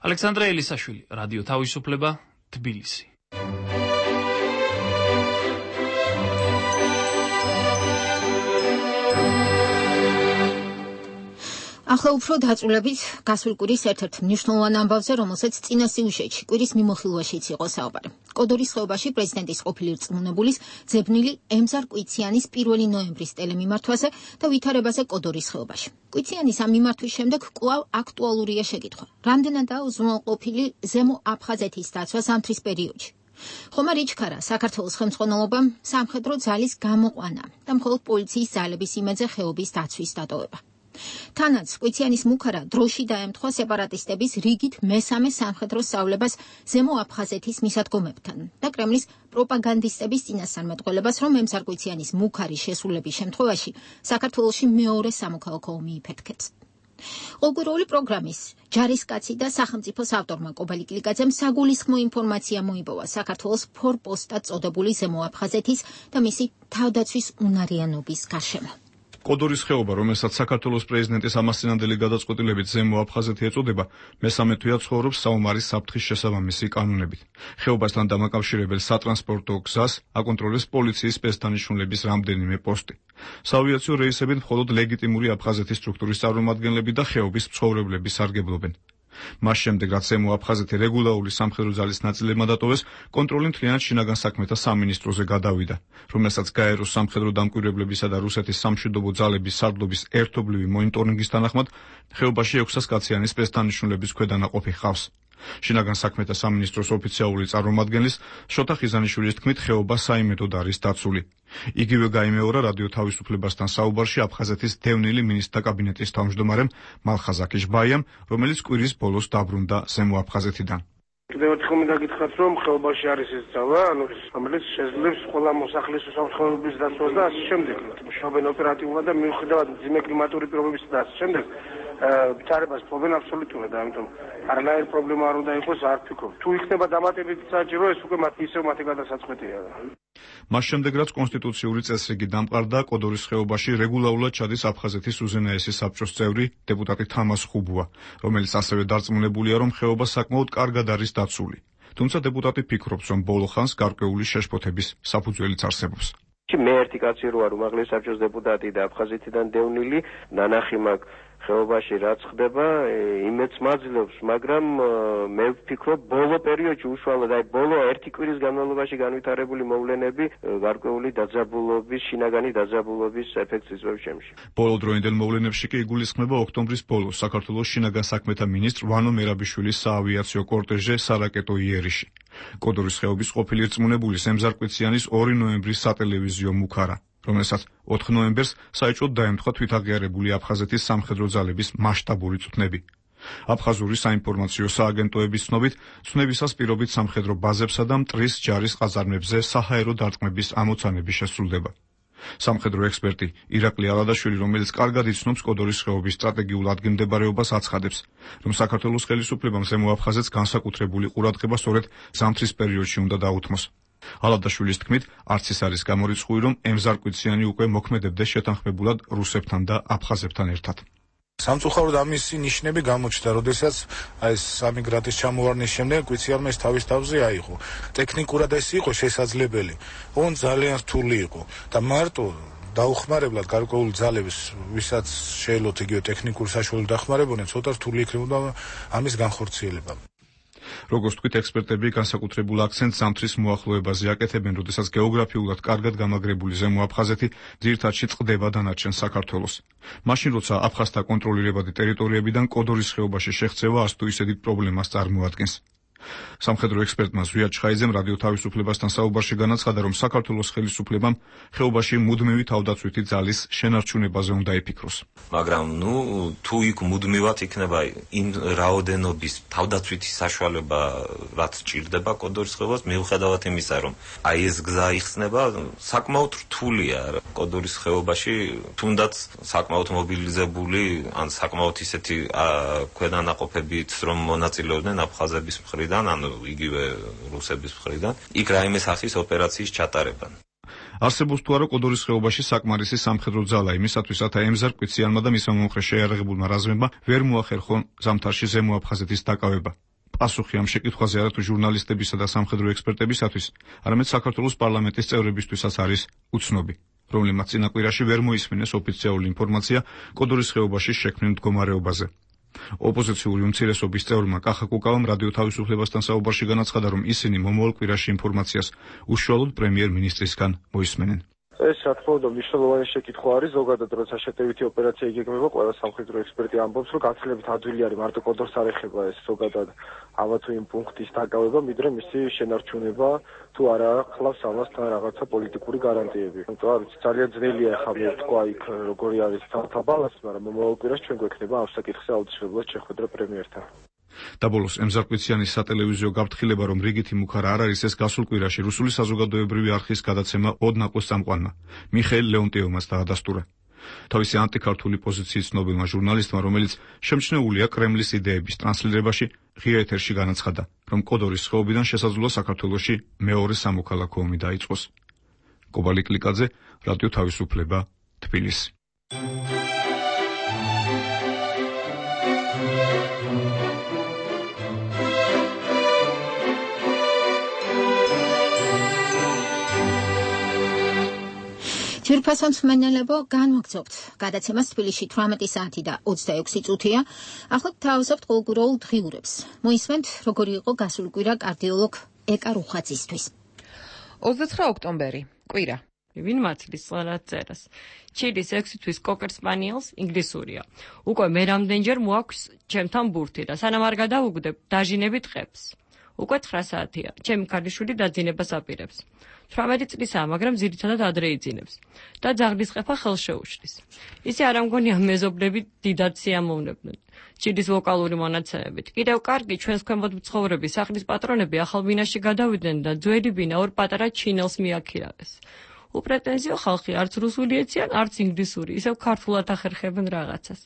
ალექსანდრე ელისაშვილი, რადიო თავისუფლება, თბილისი. ახლა უფრო დაწვრილებით გასული კვირის ერთ-ერთ მნიშვნელოვან ამბავზე, რომელსაც წინა სიუჟეტში კვირის მიმოხილვაშიც იყო საუბარი. კოდორის ხეობაში პრეზიდენტის ყოფილი რწმუნებულის ძებნილი ემზარ კვიციანის 1 ნოემბრის ტელემიმართვაზე და ვითარებაზე კოდორის ხეობაში. კვიციანის ამ მიმართვის შემდეგ კვლავ აქტუალურია შეკითხვა. რამდენადაა უზრუნველყოფილი ზემო აფხაზეთის დაცვა ზამთრის პერიოდში? ხომარ იჩქარა საქართველოს ხელმძღვანელობამ სამხედრო ძალის გამოყვანა და მხოლოდ პოლიციის ძალების იმედზე ხეობის დაცვის დატოვება. თანაც კვიციანის მუქარა დროში დაემთხვა სეპარატისტების რიგით მესამე სამხედრო სწავლებას ზემო აფხაზეთის მისადგომებთან და კრემლის პროპაგანდისტების წინასწარმეტყველებას, რომ ემზარ კვიციანის მუქარი შესრულების შემთხვევაში საქართველოში მეორე სამოქალაქო ომი იფეთქებს. ყოველკვირეული პროგრამის ჯარისკაცი და სახელმწიფოს ავტორმა კობალი კლიკაძემ საგულისხმო ინფორმაცია მოიპოვა საქართველოს ფორპოსტად წოდებული ზემო აფხაზეთის და მისი თავდაცვის უნარიანობის გარშემო. კოდორის ხეობა, რომელსაც საქართველოს პრეზიდენტის ამასწინებელი გადაწყვეტილებით ზემო აფხაზეთი ეწოდება, მესამე თვეა ცხოვრობს საომარის საფრთხის შესაბამისი კანონებით. ხეობასთან დამაკავშირებელ სატრანსპორტო გზას აკონტროლებს პოლიციის სპეცდანიშნულების რამდენიმე პოსტი. საავიაციო რეისებით მხოლოდ ლეგიტიმური აფხაზეთის სტრუქტურის წარმომადგენლები და ხეობის მცხოვრებლები სარგებლობენ. მას შემდეგ, რაც ზემო აფხაზეთი რეგულარული სამხედრო ძალის ნაწილებმა დატოვეს, კონტროლი მთლიანად შინაგან საქმეთა სამინისტროზე გადავიდა, რომელსაც გაეროს სამხედრო დამკვირვებლებისა და რუსეთის სამშვიდობო ძალების სარდლობის ერთობლივი მონიტორინგის თანახმად ხეობაში 600 კაციანი სპეცდანიშნულების ქვედანაყოფი ჰყავს. შინაგან საქმეთა სამინისტროს ოფიციალური წარმომადგენლის შოთა ხიზანიშვილის თქმით, ხეობა საიმედოდ არის დაცული. იგივე გაიმეორა რადიო თავისუფლებასთან საუბარში აფხაზეთის დევნილი მინისტრთა კაბინეტის თავმჯდომარემ მალხაზ აკიშბაიამ, რომელიც კვირის ბოლოს დაბრუნდა ზემო აფხაზეთიდან. კიდევ ერთხელ მინდა გითხრათ, რომ ხეობაში არის ეს ძალა, რომელიც შეძლებს ყველა მოსახლის უსაფრთხოების დაცვას და ასე შემდეგ. მუშაობენ ოპერატიულად და მიუხედავად მძიმე კლიმატური პირობებისა და ასე შემდეგ, ვითარებას ფლობენ აბსოლუტურად, ამიტომ არანაირი პრობლემა არ უნდა იყოს, არ ვფიქრობ. თუ იქნება დამატებითი საჭირო, ეს უკვე მათი გადასაწყვეტია. მას შემდეგ, რაც კონსტიტუციური წესრიგი დამყარდა, კოდორის ხეობაში რეგულარულად ჩადის აფხაზეთის უზენაესი საბჭოს წევრი დეპუტატი თამას ხუბუა, რომელიც ასევე დარწმუნებულია, რომ ხეობა საკმაოდ კარგად არის დაცული. თუმცა დეპუტატი ფიქრობს, რომ ბოლო ხანს გარკვეული შეშფოთების საფუძველიც არსებობს. მე ერთი კაცი რო არ უმაღლეს საბჭოს დეპუტატი და აფხაზეთიდან დევნილი ნანახი მაქვს ხეობაში რაც ხდება, იმედს მაძლევს, მაგრამ მე ვფიქრობ, ბოლო პერიოდში უშუალოდ აი ბოლო ერთი კვირის განმავლობაში განვითარებული მოვლენები გარკვეული დაძაბულობის, შინაგანი დაძაბულობის ეფექტს იწვევს ჩემში. ბოლოდროინდელ მოვლენებში კი იგულისხმება ოქტომბრის ბოლოს საქართველოს შინაგან საქმეთა მინისტრ ვანო მერაბიშვილის საავიაციო კორტეჟზე სარაკეტო იერიში. კოდორის ხეობის ყოფილი რწმუნებულის ემზარ კვიციანის 2 ნოემბრის სატელევიზიო მუქარა, რომელსაც 4 ნოემბერს საეჭვოდ დაემთხვა თვითაღიარებული აფხაზეთის სამხედრო ძალების მასშტაბური წვნები. აფხაზური საინფორმაციო სააგენტოების ცნობით, ცნებისას პირობით სამხედრო ბაზებსა და მტრის ჯარის ყაზარმებზე საჰაერო დარტყმების ამოცანები შესრულდება. სამხედრო ექსპერტი ირაკლი ალადაშვილი, რომელიც კარგად იცნობს კოდორის ხეობის სტრატეგიულ ადგილმდებარეობას, აცხადებს, რომ საქართველოს ხელისუფლებამ ზემო აფხაზეთს განსაკუთრებული ყურადღება სწორედ ზამთრის პერიოდში უნდა დაუთმოს. ალადაშვილის თქმით, არც ის არის გამორიცხული, რომ ემზარ კვიციანი უკვე მოქმედებდეს შეთანხმებულად რუსებთან და აფხაზებთან ერთად. სამწუხაროდ ამისი ნიშნები გამოჩნდა, როდესაც აი სამიგრანტის ჩამოვარდნის შემდეგ კვიციანმა ის თავის თავზე აიღო. ტექნიკურად ეს იყო შესაძლებელი, ოღონდ ძალიან რთული იყო და მარტო დაუხმარებლად გარკვეული ძალების, ვისაც შეელოთ იგივე ტექნიკური საშუალება დახმარებოდნენ, ცოტა რთული იქნებოდა ამის განხორციელება. როგორც თქვით, ექსპერტები განსაკუთრებულ აქცენტს ზამთრის მოახლოებაზე აკეთებენ, როდესაც გეოგრაფიულად კარგად გამაგრებული ზემო აფხაზეთი ძირითადში წყდება დანარჩენ საქართველოს. მაშინ, როცა აფხაზთა კონტროლირებადი ტერიტორიებიდან კოდორის ხეობაში შეღწევა არც თუ ისე დიდ პრობლემას წარმოადგენს. სამხედრო ექსპერტმა ზვია ჩხაიძემ რადიო თავისუფლებასთან საუბარში განაცხადა, რომ საქართველოს ხელისუფლებამ ხეობაში მუდმივი თავდაცვითი ძალის შენარჩუნებაზე უნდა იფიქროს. მაგრამ თუ იქ მუდმივად იქნება იმ რაოდენობის თავდაცვითი საშუალება, რაც ჭირდება კოდორის ხეობას, მიუხედავად იმისა, რომ აი ეს გზა იხსნება, საკმაოდ რთულია კოდორის ხეობაში, თუნდაც საკმაოდ მობილიზებული, ან საკმაოდ ისეთი ქვედანაყოფებით, რომ მონაწილეობდნენ აფხაზების მხრიდან, ანუ იგივე რუსების მხრიდან, იქ რაიმე სახის ოპერაციის ჩატარებან. არსებობს თუ არა კოდორის ხეობაში საკმარისი სამხედრო ძალა იმისათვის, რათა ემზარ კვიციანმა და მისმა მომხრე შეიარაღებულმა რაზმებმა ვერ მოახერხონ ზამთარში ზემო აფხაზეთის დაკავება. პასუხი ამ შეკითხვაზე არა თუ ჟურნალისტებისა და სამხედრო ექსპერტებისათვის, არამედ საქართველოს პარლამენტის წევრებისთვისაც არის უცნობი, რომლემაც წინაკვირაში ვერ მოისმინეს ოფიციალური ინფორმაცია კოდორის ხეობაში შექმნილ მდგომარეობაზე. ოპოზიციური უმცირესობის წევრმა კახა კუკავამ რადიო თავისუფლებასთან საუბარში განაცხადა, რომ ისინი მომავალ კვირაში ინფორმაციას უშუალოდ პრემიერ-მინისტრისგან მოისმენენ. ეს რა თქმა უნდა მნიშვნელოვანი შეკითხვა არის, ზოგადად როცა შეტევითი ოპერაცია იგეგმება, ყველა სამხედრო ექსპერტი ამბობს, რომ გაცილებით ადვილი არის მარტო კოდორს არ ეხება ეს ზოგადად ამა თუ იმ პუნქტის დაკავება, ვიდრე მისი შენარჩუნება თუ არა ხლავს ამასთან რაღაცა პოლიტიკური გარანტიები. იმიტომ არის ძალიან ძნელია ახლა მე ვთქვა იქ როგორი არის თავთა ბალანსი, მაგრამ მომავალ კვირაში ჩვენ გვექნება ამ საკითხზე აუცილებლად შეხვედრა პრემიერთან. და ბოლოს ემზარ კვიციანის სატელევიზიო გაფრთხილება, რომ რიგითი მუხარა არ არის, ეს გასულ კვირაში რუსული საზოგადოებრივი არხის გადაცემა ოდნაკოს წამყვანმა მიხეილ ლეონტიევმაც დაადასტურა. თავისი ანტიქართული პოზიციის ცნობილმა ჟურნალისტმა, რომელიც შემჩნეულია კრემლის იდეების ტრანსლირებაში, ღია ეთერში განაცხადა, რომ კოდორის ხეობიდან შესაძლოა საქართველოში მეორე სამოქალაქო ომი დაიწყოს. კობალი კლიკაძე, რადიო თავისუფლება, თბილისი. ძვირფასო მსმენელებო, განვაგრძობთ გადაცემას თბილისში 18 საათი და 26 წუთია. ახლა გთავაზობთ ყოველკვირეულ დღიურებს. მოისმენთ, როგორი იყო გასული კვირა კარდიოლოგ ეკა რუხაძისთვის. 29 ოქტომბერი, კვირა. ვინ მართლის სწორად წერას. ჩილის 6 თვის კოკერ სპანიელს ინგლისურია. უკვე მე რამდენჯერ მოაქვს ჩემთან ბურთი და სანამ არ გადავუგდებ, დაჟინებით ყებს. უკვე 9 საათია. ჩემი ქალიშვილი დაძინებას აპირებს. 18 წლისაა, მაგრამ ძირითადად ადრე იძინებს და ძაღლის ყეფა ხელს შეუშლის. ისე არ ამგონია მეზობლები დიდად სიამოვნებდნენ. ჩილის ვოკალური მონაცემებით. კიდევ კარგი ჩვენს ქვემოთ მცხოვრები სახლის პატრონები ახალ ბინაში გადავიდნენ და ძველი ბინა ორ პატარა ჩინელს მიაქირავეს. უპრეტენზიო ხალხი არც რუსული ეციან, არც ინგლისური, ისევ ქართულად ახერხებენ რაღაცას.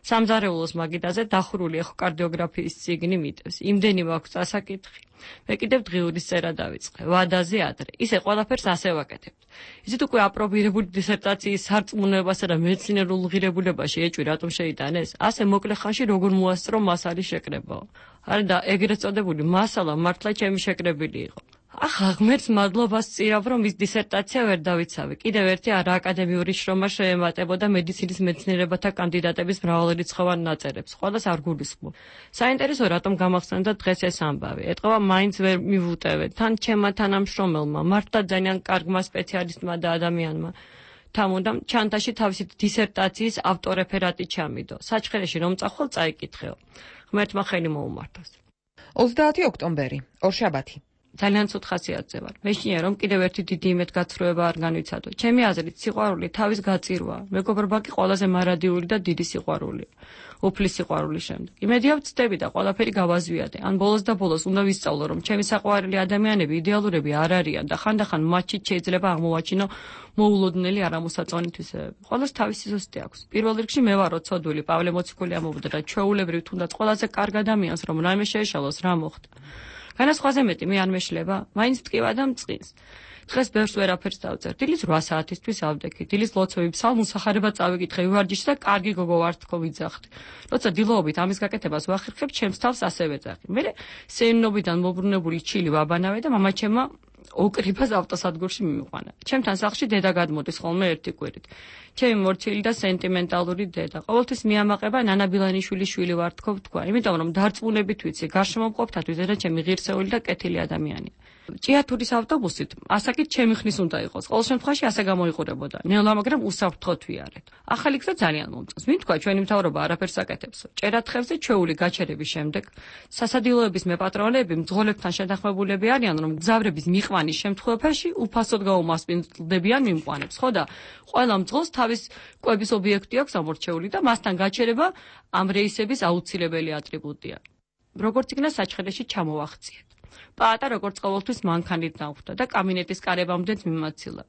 სამზარეულოს მაგიდაზე დახურული ეხოკარდიოგრაფიის წიგნი მიტევს. იმდენი მაქვს წასაკითხი. მე კიდევ დღიურის წერა დავიწყე. ვადაზე ადრე. ისე ყველაფერს ასე ვაკეთებთ. ისეთ უკვე აპრობირებული დისერტაციის სარწმუნოებასა და მეცნიერულ ღირებულებაში ეჭვი რატომ შეიტანეს? ასე მოკლე ხანში როგორ მოასწრო მასალის შეკრებაო. არა და ეგრეთ წოდებული მასალა მართლა ჩემი შეკრებილი იყო. ახლა ღმერთს მადლობას წირავ, რომ ის დისერტაცია ვერ დავიცავე. კიდევ ერთი არააკადემიური შრომა შეემატებოდა მედიცინის მეცნიერებათა კანდიდატების მრავალრიცხოვან ნაწერებს. ყველას არ გულისხმობ. საინტერესო რატომ გამახსენდა დღეს ეს ამბავი. ეტყობა მაინც ვერ მივუტევე. თან ჩემმა თანამშრომელმა, მართლა ძალიან კარგმა სპეციალისტმა და ადამიანმა. თამუნდამ ჩანთაში თავისი დისერტაციის ავტორეფერატი ჩამიდო. საჩხერეში რომ წახვალ წაიკითხეო. ღმერთმა ხელი მოუმართოს. 30 ოქტომბერი, ორშაბათი. ძალიან ცუდ ხასიათზე ვარ. მეშინია რომ კიდევ ერთი დიდი იმედგაცრუება არ განვიცადო. ჩემი აზრით სიყვარული თავის გაწირვაა. მეგობრობა კი ყველაზე მარადიული და დიდი სიყვარულია. უფლის სიყვარულის შემდეგ. იმედია ვწდები და ყველაფერი გავაზვიადე. ან ბოლოს და ბოლოს უნდა ვისწავლო, რომ ჩემი საყვარელი ადამიანები იდეალურები არ არიან და ხანდახან მათში შეიძლება აღმოვაჩინო მოულოდნელი არამოსაწონი თვისებები. ყველას თავისი ზუსტი აქვს. პირველ რიგში მე ვარო ცოდვილი, პავლე მოციქული ამბობდა და ჩვეულებრივ თუნდაც ყველაზე კარგ ადამიანს რომ რაიმე შეეშალოს რა მოხდა. განასხვაზე მეტი მე არ მეშლება, მაინც მტკივა და მწყინს. დღეს ბევრს ვერაფერს დავწერ. დილის 8 საათისთვის ავდექი. დილის ლოცვები ფსალმუსახარება წავიკითხე ვივარჯიშს და კარგი გოგო ვარ თქო ვიძახდი. როცა დილოობით ამის გაკეთებას ვახერხებ, ჩემს თავს ასევე ვეძახი. მე სენობიდან მობრუნებული ჩილი ვაბანავე და მამაჩემმა ოკრიფას ავტოსადგურში მიმიყვანა. ჩემთან სახლში დედა გადმოდის ხოლმე ერთი კვირით. ჩემი მორჩილი და სენტიმენტალური დედა. ყოველთვის მიამაყება ნანა ბილანიშვილის შვილი ვარ თქო ვთქვა. იმიტომ რომ დარწმუნებით ვიცი, გარშემო მყოფთათვის დედა ჩემი ღირსეული და კეთილი ადამიანია. ჭიათურის ავტობუსით ასაკით ჩემი ხნის უნდა იყოს. ყოველ შემთხვევაში ასე გამოიყურებოდა. ნელა, მაგრამ უსაფრთხოდ ვიარეთ. ახალი გზა ძალიან მომწონს. ვინ თქვა ჩვენი მთავრობა არაფერს აკეთებსო. ჭერათხევზე ჩვეული გაჩერების შემდეგ სასადილოების მეპატრონეები მძღოლებთან შეთანხმებულები არიან, რომ გზავრების მიყვანის შემთხვევაში უფასოდ გაუმასპინძლებიან მიმყვანებს. ხო და ყველა მძღოლს თავის კვების ობიექტი აქვს ამორჩეული და მასთან გაჩერება ამ რეისების აუცილებელი ატრიბუტია. როგორც იქნა საჩხერეში ჩამოვახციეთ. პაატა როგორც ყოველთვის მანქანით დავხვდა და კაბინეტის კარებამდეც მიმაცილა.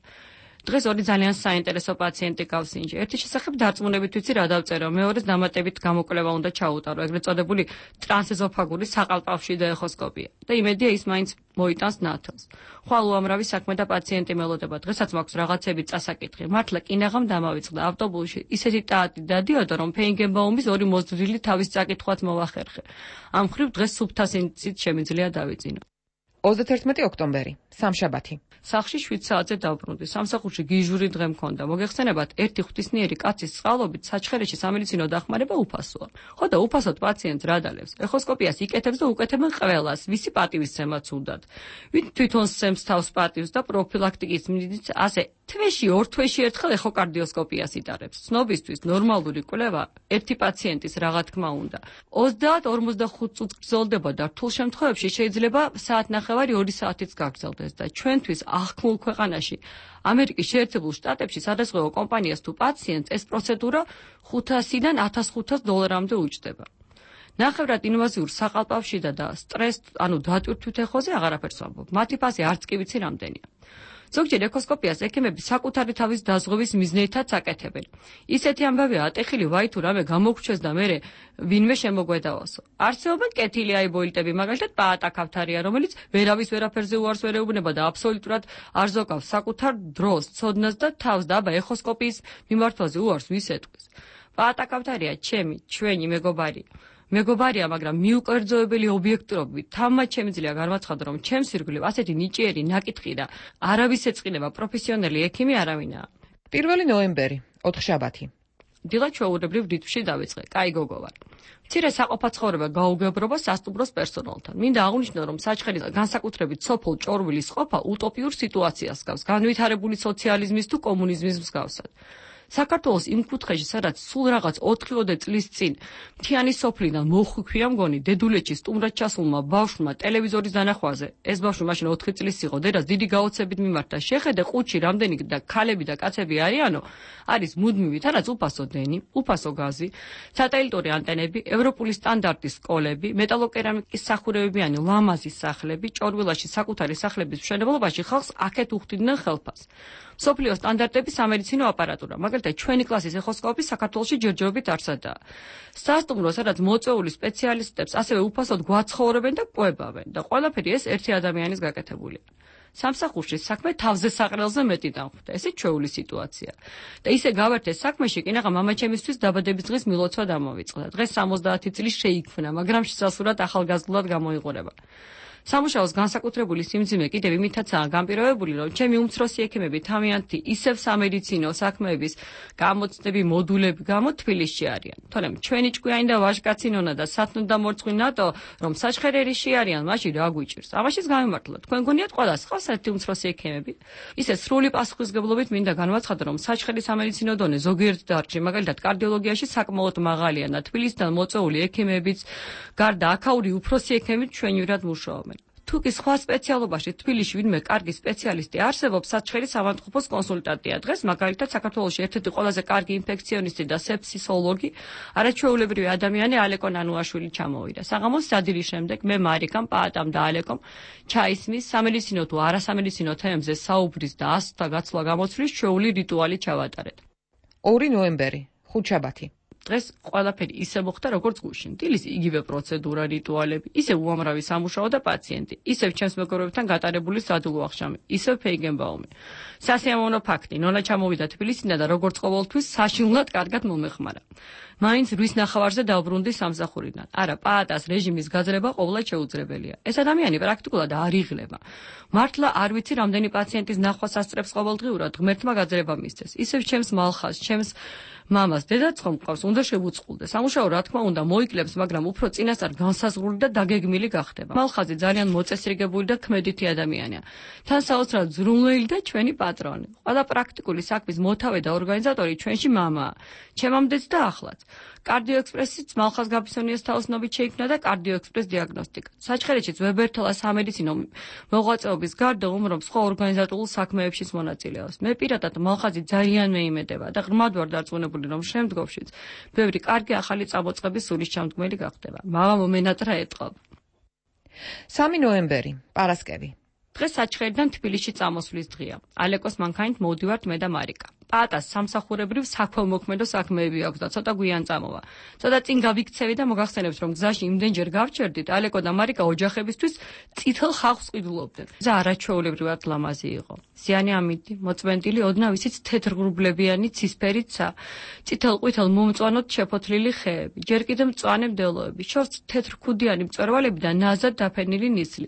დღეს ორი ძალიან საინტერესო პაციენტი გავს ინჯი. ერთი შესახებ დარწმუნებით ვიცი რა დავწერო, მეორეს დამატებით გამოკვლევა უნდა ჩაუტარო, ეგრეთ წოდებული ტრანსეზოფაგური საყალპავშიდა ეხოსკოპია. და იმედია ის მაინც მოიტანს ნათელს. ხვალ უამრავი საქმე და პაციენტი მელოდება. დღესაც მაქვს რაღაცები წასაკითხი. მართლა კინაღამ დამავიწყდა ავტობუსში. ისეთი ტაატი დადიოდა, რომ ფეინგენბაუმის ორი მოძვრილი თავის წაკითხვაც მოვახერხე. ამ ხრივ დღეს სუფთასინცით შემიძლია დავიძინო. 31 ოქტომბერი, სამშაბათი. სახლში 7 საათზე დავბრუნდი. სამსახურში გიჟური დღე მქონდა. მოგეხსენებათ, ერთი ღვთისმიერი კაცის წყალობით საჩხერეში სამედიცინო დახმარება უფასოა. ხო და უფასოდ პაციენტს რა დალევს? ეხოსკოპიას იკეთებს და უკეთებენ ყველას, ვისი პატივისცემაც უნდათ. ვინ თვითონ სცემს თავს პატივს და პროფილაქტიკის მიზნით ასე თვეში, ორ თვეში ერთხელ ეხოკარდიოსკოპიას იტარებს. ცნობისთვის ნორმალური კვლევა ერთი პაციენტის რა თქმა უნდა. 30-45 წუთს გრძელდება და რთულ შემთხვევებში შეიძლება საათნახევარი 2 საათიც გაგრძელდეს და ჩვენთვის აღქმულ ქვეყანაში ამერიკის შეერთებულ შტატებში სადაზღვევო კომპანიას თუ პაციენტს ეს პროცედურა $500-დან $1500 უჯდება. ნახევრად ინვაზიურ საყალპავშიდა და სტრესს, ანუ დატვირთვით ეხოზე აღარაფერს ვამბობ. მათი ფასი არც კი ვიცი რამდენია. ზოგჯერ ეხოსკოპიას ექიმები საკუთარი თავის დაზღვევის მიზნითაც აკეთებენ. ისეთი ამბავია ატეხილი ვაი თუ რამე გამოგრჩეს და მერე ვინმე შემოგვედავასო. არსებობენ კეთილი აიბოილტები, მაგალითად პაატა კავთარია, რომელიც ვერავის ვერაფერზე უარს ვერ ეუბნება და აბსოლუტურად არ ზოგავს საკუთარ დროს, ცოდნას და თავს და აბა ეხოსკოპიის მიმართვაზე უარს ვის ეტყვის. პაატა კავთარია ჩვენი მეგობარია, მაგრამ მიუკერძოებელი ობიექტურობით თამაც შემიძლია განვაცხადო, რომ ჩემს ირგვლივ ასეთი ნიჭიერი ნაკითხი და არავის ეწყინება პროფესიონალი ექიმი არავინაა. 1 ნოემბერი, ოთხშაბათი. დილა ჩვეულებრივ რიტმში დავიწყე. კაი გოგო ვარ. მცირე საყოფაცხოვრება გაუგებრობა სასტუმროს პერსონალთან. მინდა აღვნიშნო, რომ საჩხერის განსაკუთრებით სოფელ ჭორვილის ყოფა утопიურ სიტუაციას გავს, განვითარებული სოციალიზმის თუ კომუნიზმის მსგავსად. საქართველოს იმ კუთხეში, სადაც სულ რაღაც 4-5 წლის წინ მთიანი სოფლიდან მოხვიქვია მგონი დედულეთში სტუმრად ჩასულმა ბავშვმა ტელევიზორის დანახვაზე. ეს ბავშვი მაშინ 4 წლის იყო, დედას დიდი გაოცებით მიმართა. შეხედე ყუთში რამდენი და ქალები და კაცები არიანო, არის მუდმივი, თანაც უფასო დენი, უფასო გაზი, სატელიტური ანტენები, ევროპული სტანდარტის სკოლები, მეტალოკერამიკის სახურებებიანი ლამაზი სახლები, ჭორვილაში საკუთარი სახლების მშენებლობაში ხალხს აქეთ უხდიდნენ ხელფას. სოფლიო სტანდარტების სამედიცინო აპარატურა, მაგალითად ჩვენი კლასის ეხოსკოპი საქართველოში ჯერჯერობით არსადაა. სასტუმრო, სადაც მოწვეული სპეციალისტებს ასევე უფასოდ გვაცხოვრებენ და ყვებავენ და ყველაფერი ეს ერთი ადამიანის გაკეთებულია. სამსახურში საქმე თავზე საყრელზე მეტი დამხვდა. ესე ჩვეული სიტუაცია. და ისე გავერთე საქმეში, კინაღა მამაჩემისთვის დაბადების დღის მილოცვა დამოვიწყდა. დღეს 70 წლის შეიქმნა, მაგრამ შესასრულად ახალგაზრდულად გამოიყურება. სამუშაოს განსაკუთრებული სიმძიმე კიდევ იმითაცაა განპირობებული, რომ ჩემი უმცროსი ექიმები თავიანთი ისევ სამედიცინო საქმეების გამოცდები მოდულები გამო თბილისში არიან. თორემ ჩვენი ჭკვიანი და ვაჟკაცი ნონა და სათნო და მორწყვი ნატო, რომ საჩხერერიში არიან, მაშინ რა გვიჭირს? ამაშიც გამიმართლა. თქვენ გონიათ ყველას ხავს ერთი უმცროსი ექიმები? ისე სრული პასუხისგებლობით მინდა განვაცხადო, რომ საჩხერის სამედიცინო დონე ზოგიერთ დარგში, მაგალითად კარდიოლოგიაში საკმაოდ მაღალია და თბილისიდან მოწვეული ექიმებიც გარდა აქაური უფროსი ექიმებით ჩვენივრად მუშაობენ. თუ კი სხვა სპეციალობაში თბილისში ვინმე კარგი სპეციალისტი არსებობს, საჩხერის ავადმყოფოს კონსულტანტია. დღეს მაგალითად საქართველოში ერთ-ერთი ყველაზე კარგი ინფექციონისტი და სეფსისოლოგი, არაჩვეულებრივი ადამიანი ალეკო ნანუაშვილი ჩამოვიდა. საღამოს სადირის შემდეგ მე მარიკამ, პაატამ და ალეკომ ჩაისმის სამედიცინო თუ არასამედიცინო თემებზე საუბრის და ასთა გაცვლა გამოცვლის ჩვეული რიტუალი ჩავატარეთ. 2 ნოემბერი, ხუთშაბათი. დღეს ყველაფერი ისე მოხდა, როგორც გუშინ. დილის იგივე პროცედურა, რიტუალები, ისე უამრავი სამუშაო და პაციენტი, ისევ ჩემს მეგობრებთან გატარებული სადულო აღშამი, ისევ ფეიგენბაუმი. სასიამოვნო ფაქტი, ნონა ჩამოვიდა თბილისიდან და როგორც ყოველთვის საშინლად კარგად მომეხმარა. მაინც რის ნახევარზე დავბრუნდი სამსახურიდან. არა, პაატას რეჟიმის გაძლება ყოვლად შეუძლებელია. ეს ადამიანი პრაქტიკულად არ იღლება. მართლა არ ვიცი, რამდენი პაციენტის ნახვას ასწრებს ყოველდღიურად, ღმერთმა გაძლება მისცეს. ისევ ჩემს მალხას, ჩემს მამას, დედაც ხომ მყავს, უნდა შევუწყულდე. სამუშაო რა თქმა უნდა მოიკლებს, მაგრამ უფრო წინასწარ განსაზღვრული და დაგეგმილი გახდება. მალხაზი ძალიან მოწესრიგებული და ქმედითი ადამიანია. თან საოცრად ზრუნველი და ჩვენი პატრონი. ყველა პრაქტიკული საქმის მოთავე და ორგანიზატორი ჩვენში მამაა. ჩემამდეც და ახლაც. კარდიოექსპრესიც მალხაზ გაბისონიას თაოსნობით შეიქმნა და კარდიოექსპრეს დიაგნოსტიკა. საჩხერეშიც ვებერთელა სამედიცინო მოღვაწეობის გარდა უმრობ სხვა ორგანიზატორულ საქმეებშიც მონაწილეობს. მე პირადად მალხაზი ძალიან მეიმედება და ღრმად ვარ დარწმუნებული, რომ შემდგომშიც ბევრი კარგი ახალი წამოწყების სულისჩამდგმელი გახდება. მამა მომენატრა ეტყობ. 3 ნოემბერი, პარასკევი. დღეს საჩხერიდან თბილისში წამოსვლის დღეა. ალეკოს მანქანით მოვდივართ მე და მარიკა. პატას სამსახურებრივ საქველმოქმედო საქმეები აქვს და ცოტა გვიან წამოვა. ცოტა წინ გავიქცევი და მოგახსენებთ, რომ გზაში იმდენჯერ გავჩერდით, ალეკო და მარიკა ოჯახებისთვის წითელ ხალხს ყიდულობდნენ. გზა არაჩვეულებრივად ლამაზი იყო. ზიანი ამიდი, მოწმენდილი, ოდნავ ისიც თეთრღრუბლებიანი ცისფერიცა, წითელ-ყვითელ მომწვანოდ შეფოთლილი ხეები, ჯერ კიდევ მწვანე მდელოები, შორს თეთრქუდიანი მწვერვალები და ნაზად დაფენილი ნისლი.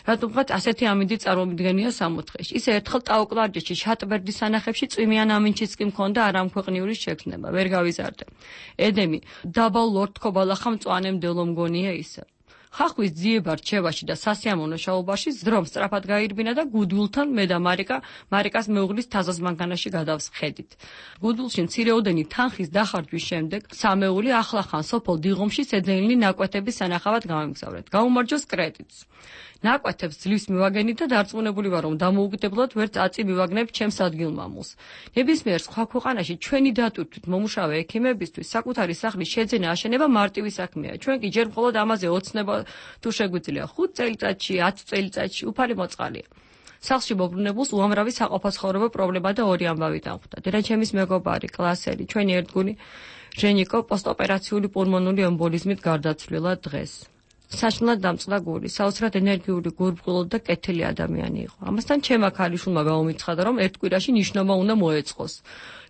რატომღაც ასეთი ამიდი წარმომიდგენია სამოთხეში. ისე ერთხელ ტაოკლარჯეთში შატბერდის სანახებში წვიმიან ამინჩიც კი მქონდა არამქვეყნიური შექმნება, ვერ გავიზარდე. ედემი, დაბალ ლორდ-ქობალახა მწვანე მდელო მგონია ისე. ხახვის ძიება რჩევაში და სასიამოვნო შაობაში ზდრომ სწრაფად გაირბინა და გუდულთან მე და მარიკას მეუღლის თაზას მანქანაში გადავსხედით. გუდულში მცირეოდენი თანხის დახარჯვის შემდეგ სამეული ახლახან სოფელ დიღომში შეძენილი ნაკვეთების სანახავად გავემგზავრეთ. გაუმარჯოს კრედიტს. ნაკვეთებს ძლივს მივაგენით და დარწმუნებული ვარ, რომ დამოუკიდებლად ვერც აწი მივაგნებ ჩემს ადგილმამულს. ნებისმიერ სხვა ქვეყანაში ჩვენი დატვირთვით მომუშავე ექიმებისთვის საკუთარი სახლის შეძენა აშენება მარტივი საქმეა. ჩვენ კი ჯერ მხოლოდ ამაზე ოცნება თუ შეგვიძლია 5 წელიწადში, 10 წელიწადში უფალი მოწყალია. სახლში მობრუნებულს უამრავი საყოფაცხოვრებო პრობლემა და ორი ამბავი დამხვდა. დედაჩემის მეგობარი, კლასელი, ჩვენი ერთგული ჟენიკო პოსტოპერაციული პულმონური ემბოლიზმით გარდაცვლილა დღეს. საშნელად დამწყდა გული, საოცრად ენერგიული, გურბღილო და კეთილი ადამიანი იყო. ამასთან ჩემმა ქალიშვილმა გაუმიცხადა, რომ ერთ კვირაში ნიშნობა უნდა მოეწყოს.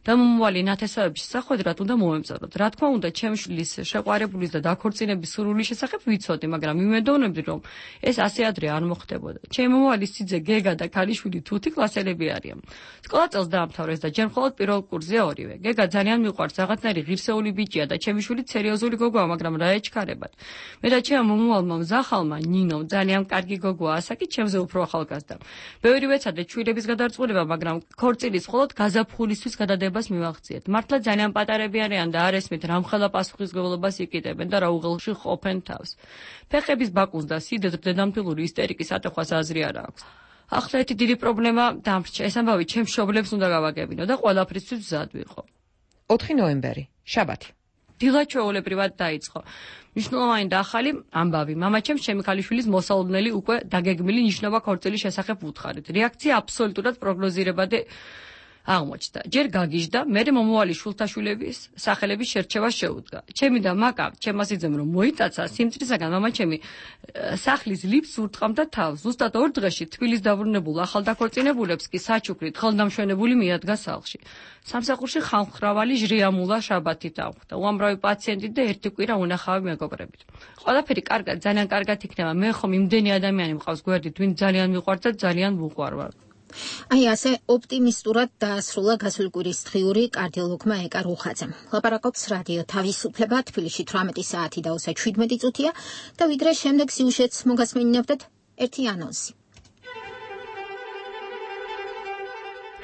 და მომავალი ნათესავების სახვედრად უნდა მოემწაროთ. რა თქმა უნდა, ჩემი შვილის შეყვარებულის და დაქორწინების სურვილის შესახებ ვიცოდი, მაგრამ იმედოვნებდი, რომ ეს ასე ადრე არ მოხდებოდა. ჩემი მომავალი სიძე, გეგა და ქალიშვილი თუთი კლასელები არიან. სკოლა წელს დაამთავრეს და ჯერ მხოლოდ პირველ კურსზე ორივე. გეგა ძალიან მიყვარს, რაღაცნაირი ღირსეული ბიჭია და ჩემი შვილი სერიოზული გოგოა, მაგრამ რა ეჩქარებად. მე და ჩემმა მომავალმა მზახალმა ნინომ ძალიან კარგი გოგოა, ასაკი ჩემზე უფრო ახალგაზრდა. ბევრი ვეცადე შვილების გადარწმუნება, მაგრამ ქორწილის მხოლოდ გაზაფხულისთვის გადადება მივახციეთ. მართლა ძალიან პატარები არიან და არ ესმით რამხელა პასუხისმგებლობას იკიდებენ და რა უღელში ყოფენ თავს. ფეხების ბაკუნს და სიდედრ დედამფილური ისტერიკის ატეხვას აზრი არ აქვს. ახლა ერთი დიდი პრობლემა დამრჩა. ეს ამბავი ჩემს მშობლებს უნდა გავაგებინო და ყველაფრისთვის მზად ვიყო. 4 ნოემბერი, შაბათი. დილა ჩვეულებრივად დაიწყო. მნიშვნელოვანი და ახალი ამბავი. მამაჩემს ჩემი ქალიშვილის მოსალოდნელი უკვე დაგეგმილი ნიშნობა ქორწილის შესახებ უთხარით. რეაქცია აბსოლუტურად პროგნოზირებადი აღმოჩნდა. ჯერ გაგიჟდა, მერე მომავალი შვილთაშვილების სახელების შერჩევა შეუდგა. ჩემი და მაკა ჩემას იძემ რომ მოიტაცა სიმწრისაგან მამაჩემი სახლის ლიფს ურტყამდა თავს. ზუსტად 2 დღეში თბილის დაბრუნებულ ახალდაქორწინებულებს კი საჩუქრით ხელდამშვენებული მიადგა სახლში. სამსახურში ხალხმრავალი ჟრიამულა შაბათით დამხვდა. უამრავი პაციენტი და ერთი კვირა უნახავი მეგობრებით. ყველაფერი კარგად, ძალიან კარგად იქნება. მე ხომ იმდენი ადამიანი მყავს გვერდით, ვინ ძალიან მიყვარს და ძალიან ვუყვარვარ. აი ასე ოპტიმისტურად დაასრულა გასული კვირის დღიური კარდიოლოგმა ეკა რუხაძემ. ლაპარაკობს რადიო თავისუფლება, თბილისში 18 საათი და 17 წუთია და ვიდრე შემდეგ სიუჟეტს მოგასმენინებდეთ ერთი ანონსი.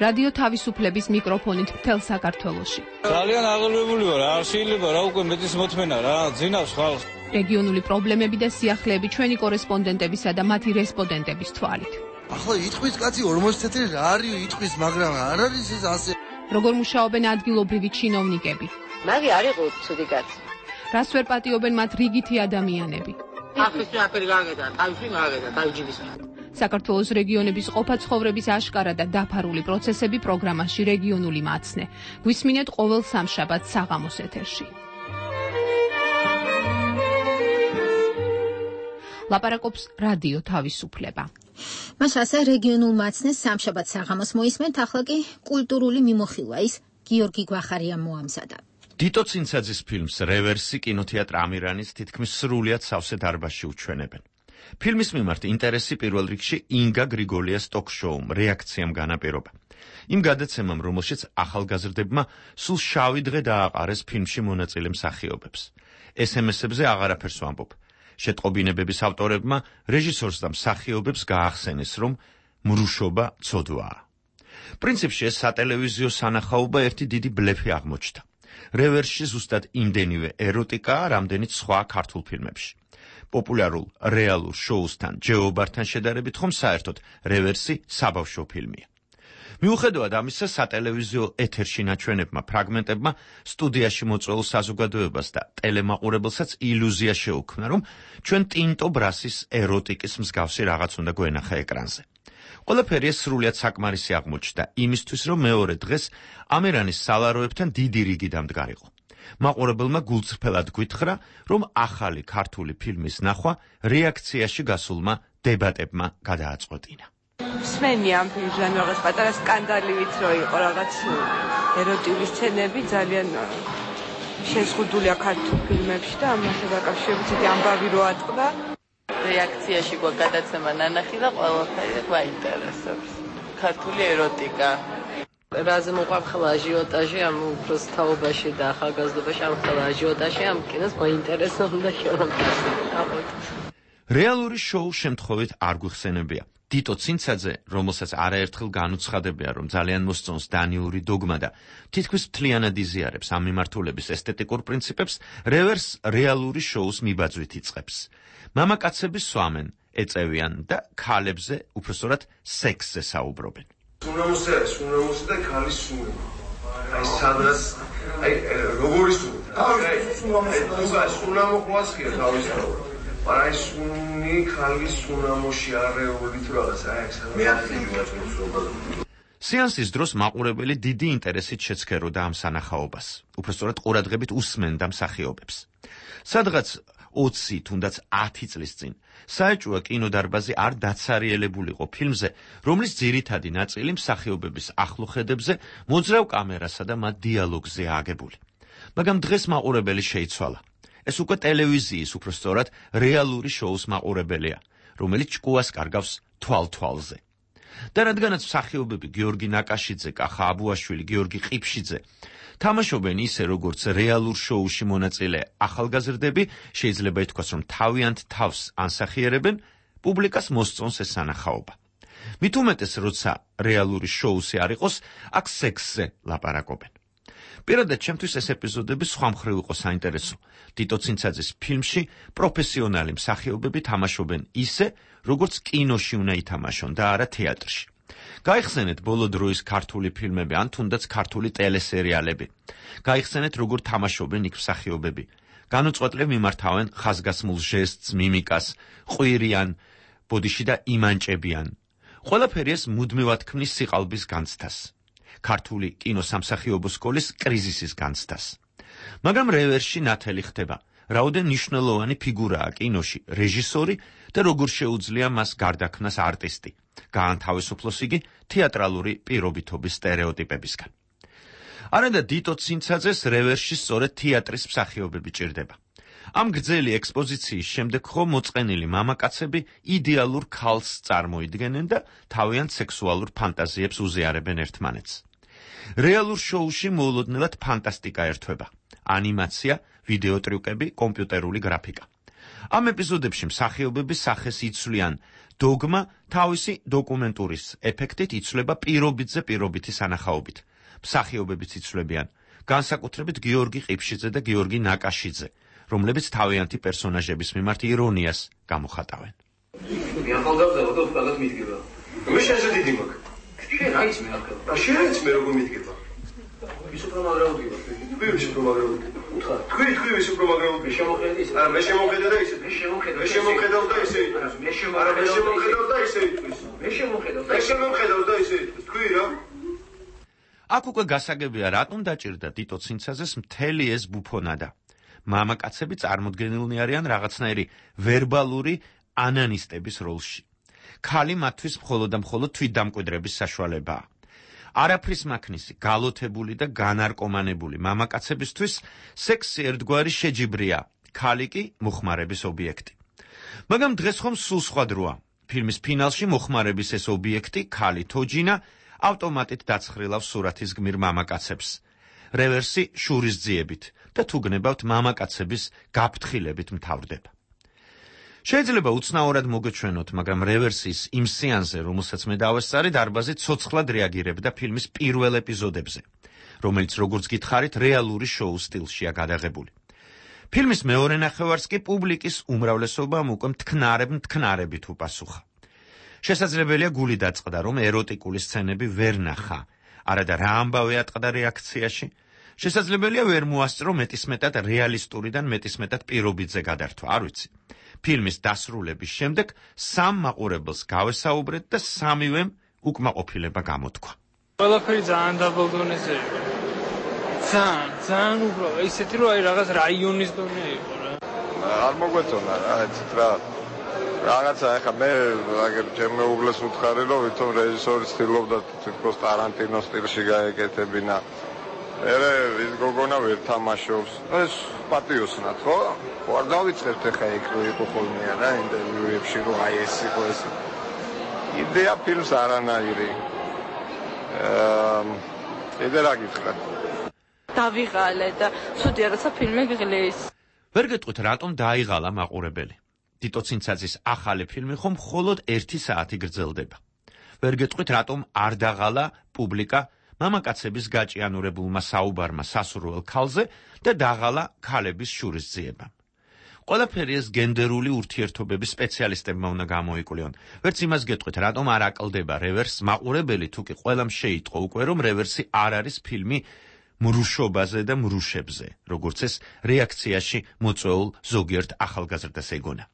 რადიო თავისუფლების მიკროფონით მთელ საქართველოში. ძალიან აღელვებული ვარ, არ შეიძლება რა უკვე მეტის მოთმენა რა, ძინავს ხალხს. რეგიონული პრობლემები და სიახლეები ჩვენი კორესპონდენტებისა და მათი რესპონდენტების თვალით. ახლა იტყვის კაცი 40 წელი რა არის იტყვის, მაგრამ არ არის ეს ასე. როგორ მუშაობენ ადგილობრივი ჩინოვნიკები? მაგი არ იყო ცუდი კაცი. რას ვერ პატიობენ მათ რიგითი ადამიანები? ახლა აფერი გაგედა, თავში გაგედა, თავჯიბის. საქართველოს რეგიონების ყოფა-ცხოვრების აშკარა და დაფარული პროცესები პროგრამაში რეგიონული მაცნე. გვისმინეთ ყოველ სამშაბათს საღამოს ეთერში. ლაპარაკობს რადიო თავისუფლება. მას ასე რეგიონულ მაცნეს სამშაბათ საღამოს მოისმენთ, ახლა კი კულტურული მიმოხილვა ის გიორგი გვახარიამ მოამზადა. დიტო ცინცაძის ფილმს რევერსი კინოთეატრ ამირანის თითქმის სრულიად სავსე დარბაზში უჩვენებენ. ფილმის მიმართ ინტერესი პირველ რიგში ინგა გრიგოლიას ტოქ-შოუმ რეაქციამ განაპირობა. იმ გადაცემამ, რომელშიც ახალგაზრდებმა სულ შავი დღე დააყარეს ფილმში მონაწილე მსახიობებს. SMS-ებზე აღარაფერს ვამბობ. შეტყობინებების ავტორებმა რეჟისორს და მსახიობებს გაახსენეს, რომ მრუშობა ცოდვაა. პრინციპში ეს სატელევიზიო სანახაობა ერთი დიდი ბლეფი აღმოჩნდა. რევერსში ზუსტად იმდენივე ეროტიკაა, რამდენიც სხვა ქართულ ფილმებში. პოპულარულ რეალურ შოუსთან, ჯეობართან შედარებით, ხომ საერთოდ რევერსი საბავშვო ფილმია. მიუხედავად ამისა, სატელევიზიო ეთერში ნაჩვენებმა ფრაგმენტებმა სტუდიაში მოწვეულ საზოგადოებას და ტელემაყურებელსაც ილუზია შეუქმნა, რომ ჩვენ ტინტო ბრასის ეროტიკის მსგავსი რაღაც უნდა გვენახა ეკრანზე. ყველაფერი ეს სრულიად საკმარისი აღმოჩნდა იმისთვის, რომ მეორე დღეს ამერანის სალაროებთან დიდი რიგი დამდგარიყო. მაყურებელმა გულწრფელად გვითხრა, რომ ახალი ქართული ფილმის ნახვა რეაქციაში გასულმა დებატებმა გადააწყვეტინა. მსმენი ამ ფილმიდან რაღაც პატარა სკანდალიwith რო იყო რაღაც ეროტიული სცენები ძალიან შეზღუდულია ქართულ ფილმებში და ამასთან დაკავშირებით ამბავი რო ატყდა. რეაქციაში გადაცემა ნანახი და ყველაფერი გვაინტერესებს. ქართული ეროტიკა. რაზე მოყვარ ხელა აჟიოტაჟი ამ უბრალოდ თაობაში და ახალგაზრდობაში ამ ხელა აჟიოტაჟი ამ კინოს მოინტერესებდა შეურამთავრებლად. რეალური შოუ შემთხვევით არ გვიხსენებია. დიტო ცინცაძე, რომელსაც არაერთხელ განუცხადებია, რომ ძალიან მოსწონს დანიური დოგმა და თითქმის მთლიანად იზიარებს ამ მიმართულების ესთეტიკურ პრინციპებს, რევერს რეალური შოუს მიბაძვით იწყებს. მამაკაცები სვამენ, ეწევიან და ქალებზე, უბრალოდ სექსზე საუბრობენ. სუნამოსი და ქალის სუნი. აი სადღაც აი როგორი სუნი? სუნამო ყავს კი თავისთავად. აი სუნი ქალის სუნამოში არეული თუ რაღაც აი ეს მე ახლა სეანსის დროს მაყურებელი დიდი ინტერესით შეცქეროდა ამ სანახაობას. უბრალოდ ყურადღებით უსმენდა მსახიობებს. სადღაც 20 თუნდაც 10 წლის წინ საეჭვო კინოდარბაზი არ დაცარიელებულიყო ფილმზე, რომლის ძირითადი ნაწილი მსახიობების ახლოხედებზე, მოძრავ კამერასა და მათ დიალოგზე აგებული. მაგრამ დღეს მაყურებელი შეიცვალა. ეს უკვე ტელევიზიის, უბრალოდ რეალური შოუს მაყურებელია, რომელიც ჭკუას კარგავს თვალ-თვალზე. და რადგანაც მსახიობები გიორგი ნაკაშიძე, კახა აბუაშვილი, გიორგი ყიფშიძე თამაშობენ ისე, როგორც რეალურ შოუში მონაწილე ახალგაზრდები, შეიძლება ითქვას, რომ თავიანთ თავს ანსახიერებენ, პუბლიკას მოსწონს ეს სანახაობა. მით უმეტეს, როცა რეალური შოუსი არ იყოს, აქ სექსზე ლაპარაკობენ. პირადად ჩემთვის ეს ეპიზოდები სხვა მხრივ იყო საინტერესო. დიტო ცინცაძის ფილმში პროფესიონალი მსახიობები თამაშობენ ისე, როგორც კინოში უნდა ითამაშონ და არა თეატრში. გაიხსენეთ ბოლო დროის ქართული ფილმები ან თუნდაც ქართული ტელესერიალები. გაიხსენეთ როგორ თამაშობენ იქ მსახიობები. განუწყვეტლივ მიმართავენ ხაზგასმულ ჟესტს, მიმიკას, ყვირიან, ბოდიში და იმანჭებიან. ყველაფერი ეს მუდმივად ქმნის სიყალბის განცდას. ქართული კინოსამსახიობო სკოლის კრიზისის განცდას. მაგრამ რევერსში ნათელი ხდება, რაოდენ მნიშვნელოვანი ფიგურაა კინოში რეჟისორი და როგორ შეუძლია მას გარდაქმნას არტისტი. გაანთავისუფლოს იგი თეატრალური პირობითობის სტერეოტიპებისგან. არადა დიტო ცინცაძეს რევერსში სწორედ თეატრის მსახიობები ჭირდება. ამ გრძელი ექსპოზიციის შემდეგ ხო მოწყენილი მამაკაცები იდეალურ ქალს წარმოიდგენენ და თავიანთ სექსუალურ ფანტაზიებს უზიარებენ ერთმანეთს. რეალურ შოუში მოულოდნელად ფანტასტიკა ერთვება. ანიმაცია, ვიდეო ტრიუკები, კომპიუტერული გრაფიკა. ამ ეპიზოდებში მსახიობების სახეს იცვლიან დოგმა თავისი დოკუმენტურის ეფექტით იცვლება პირობითზე პირობითი სანახაობით. მსახიობებიც იცვლებიან, განსაკუთრებით გიორგი ყიფშიძე და გიორგი ნაკაშიძე, რომლებიც თავიანთი პერსონაჟების მიმართ ირონიას გამოხატავენ. ახალგაზრდა და უკალად მიდგება. მე შეზე დიდი მაქვს. შენ აიც მე ახლა. შენც მე როგორ მიდგება? ის უფრო მაგრაუდი ვარ. თქვი ის უფრო მაგრაუდი. უთხარ. თქვი ის უფრო მაგრაუდი. შემოხედე ისე. არა, მე შემოხედე და ისე. მე შემოხედავ და ისე. მე შემოხედავ და ისე იტყვის. მე შემოხედავ და ისე იტყვის. თქვი რა? აქ უკვე გასაგებია, რატომ დაჭირდა დიტო ცინცაძეს მთელი ეს ბუფონადა. მამაკაცები წარმოდგენილნი არიან რაღაცნაირი ვერბალური ანანისტების როლში. ქალი მათთვის მხოლოდ და მხოლოდ თვითდამკვიდრების საშუალებაა. არაფრის მაქნისი, გალოთებული და განარკომანებული მამაკაცებისთვის სექსი ერთგვარი შეჯიბრია, ქალი კი მოხმარების ობიექტი. მაგრამ დღეს ხომ სულ სხვა დროა. ფილმის ფინალში მოხმარების ეს ობიექტი, ქალი თოჯინა, ავტომატით დაცხრილავს სურათის გმირ მამაკაცებს. რევერსი შურისძიებით და თუ გნებავთ მამაკაცების გაფრთხილებით მთავრდება. შეიძლება უცნაურად მოგეჩვენოთ, მაგრამ რევერსის იმ სეანსზე, რომელსაც მე დავესწარი, დარბაზი ცოცხლად რეაგირებდა ფილმის პირველ ეპიზოდებზე, რომელიც როგორც გითხარით, რეალური შოუ სტილშია გადაღებული. ფილმის მეორე ნახევარს კი პუბლიკის უმრავლესობამ უკვე მტკნარებით უპასუხა. შესაძლებელია გული დაწყდა, რომ ეროტიკული სცენები ვერ ნახა, არადა რა ამბავი ატყდა რეაქციაში. შესაძლებელია ვერ მოასწრო მეტისმეტად რეალისტურიდან მეტისმეტად პირობითზე გადართვა, არ ვიცი. ფილმის დასრულების შემდეგ სამ მაყურებელს გავესაუბრეთ და სამივემ უკმაყოფილება გამოთქვა. ყველაფერი ძალიან დაბალ დონეზე იყო. ძალიან უბრალოდ ისეთი რომ აი რაღაც რაიონის დონე იყო რა. არ მოგვეწონა რა, ეცეთ რა. რაღაცა ახლა მე აგერ ჩემ მეუღლეს ვუთხარი რომ ვითომ რეჟისორი ცდილობდა თითქოს ტარანტინოს სტილში გაეკეთებინა. ერე ის გოგონა ვერ თამაშობს. ეს პატიოსნად ხო? არ დავიწყებთ ახლა იქ რო იყო ხოლმე რა ინტერვიუებში რომ აი ეს იყო ეს. იდეა ფილმს არანაირი. იდე რა გითხრათ? დავიღალე და ცუდია როცა ფილმი გღლის. ვერ გეტყვით რატომ დაიღალა მაყურებელი. ტიტო ცინცაძის ახალი ფილმი ხომ მხოლოდ 1 საათი გრძელდება. ვერ გეტყვით რატომ არ დაღალა პუბლიკა მამაკაცების გაჭიანურებულმა საუბარმა სასურველ ქალზე და დაღალა ქალების შურისძიებამ. ყველაფერი ეს გენდერული ურთიერთობების სპეციალისტებმა უნდა გამოიკვლიონ. ვერც იმას გეტყვით, რატომ არ აკლდება რევერსს მაყურებელი, თუ კი ყველამ შეიტყო უკვე, რომ რევერსი არ არის ფილმი მრუშობაზე და მრუშებზე, როგორც ეს რეაქციაში მოწვეულ ზოგიერთ ახალგაზრდას ეგონა.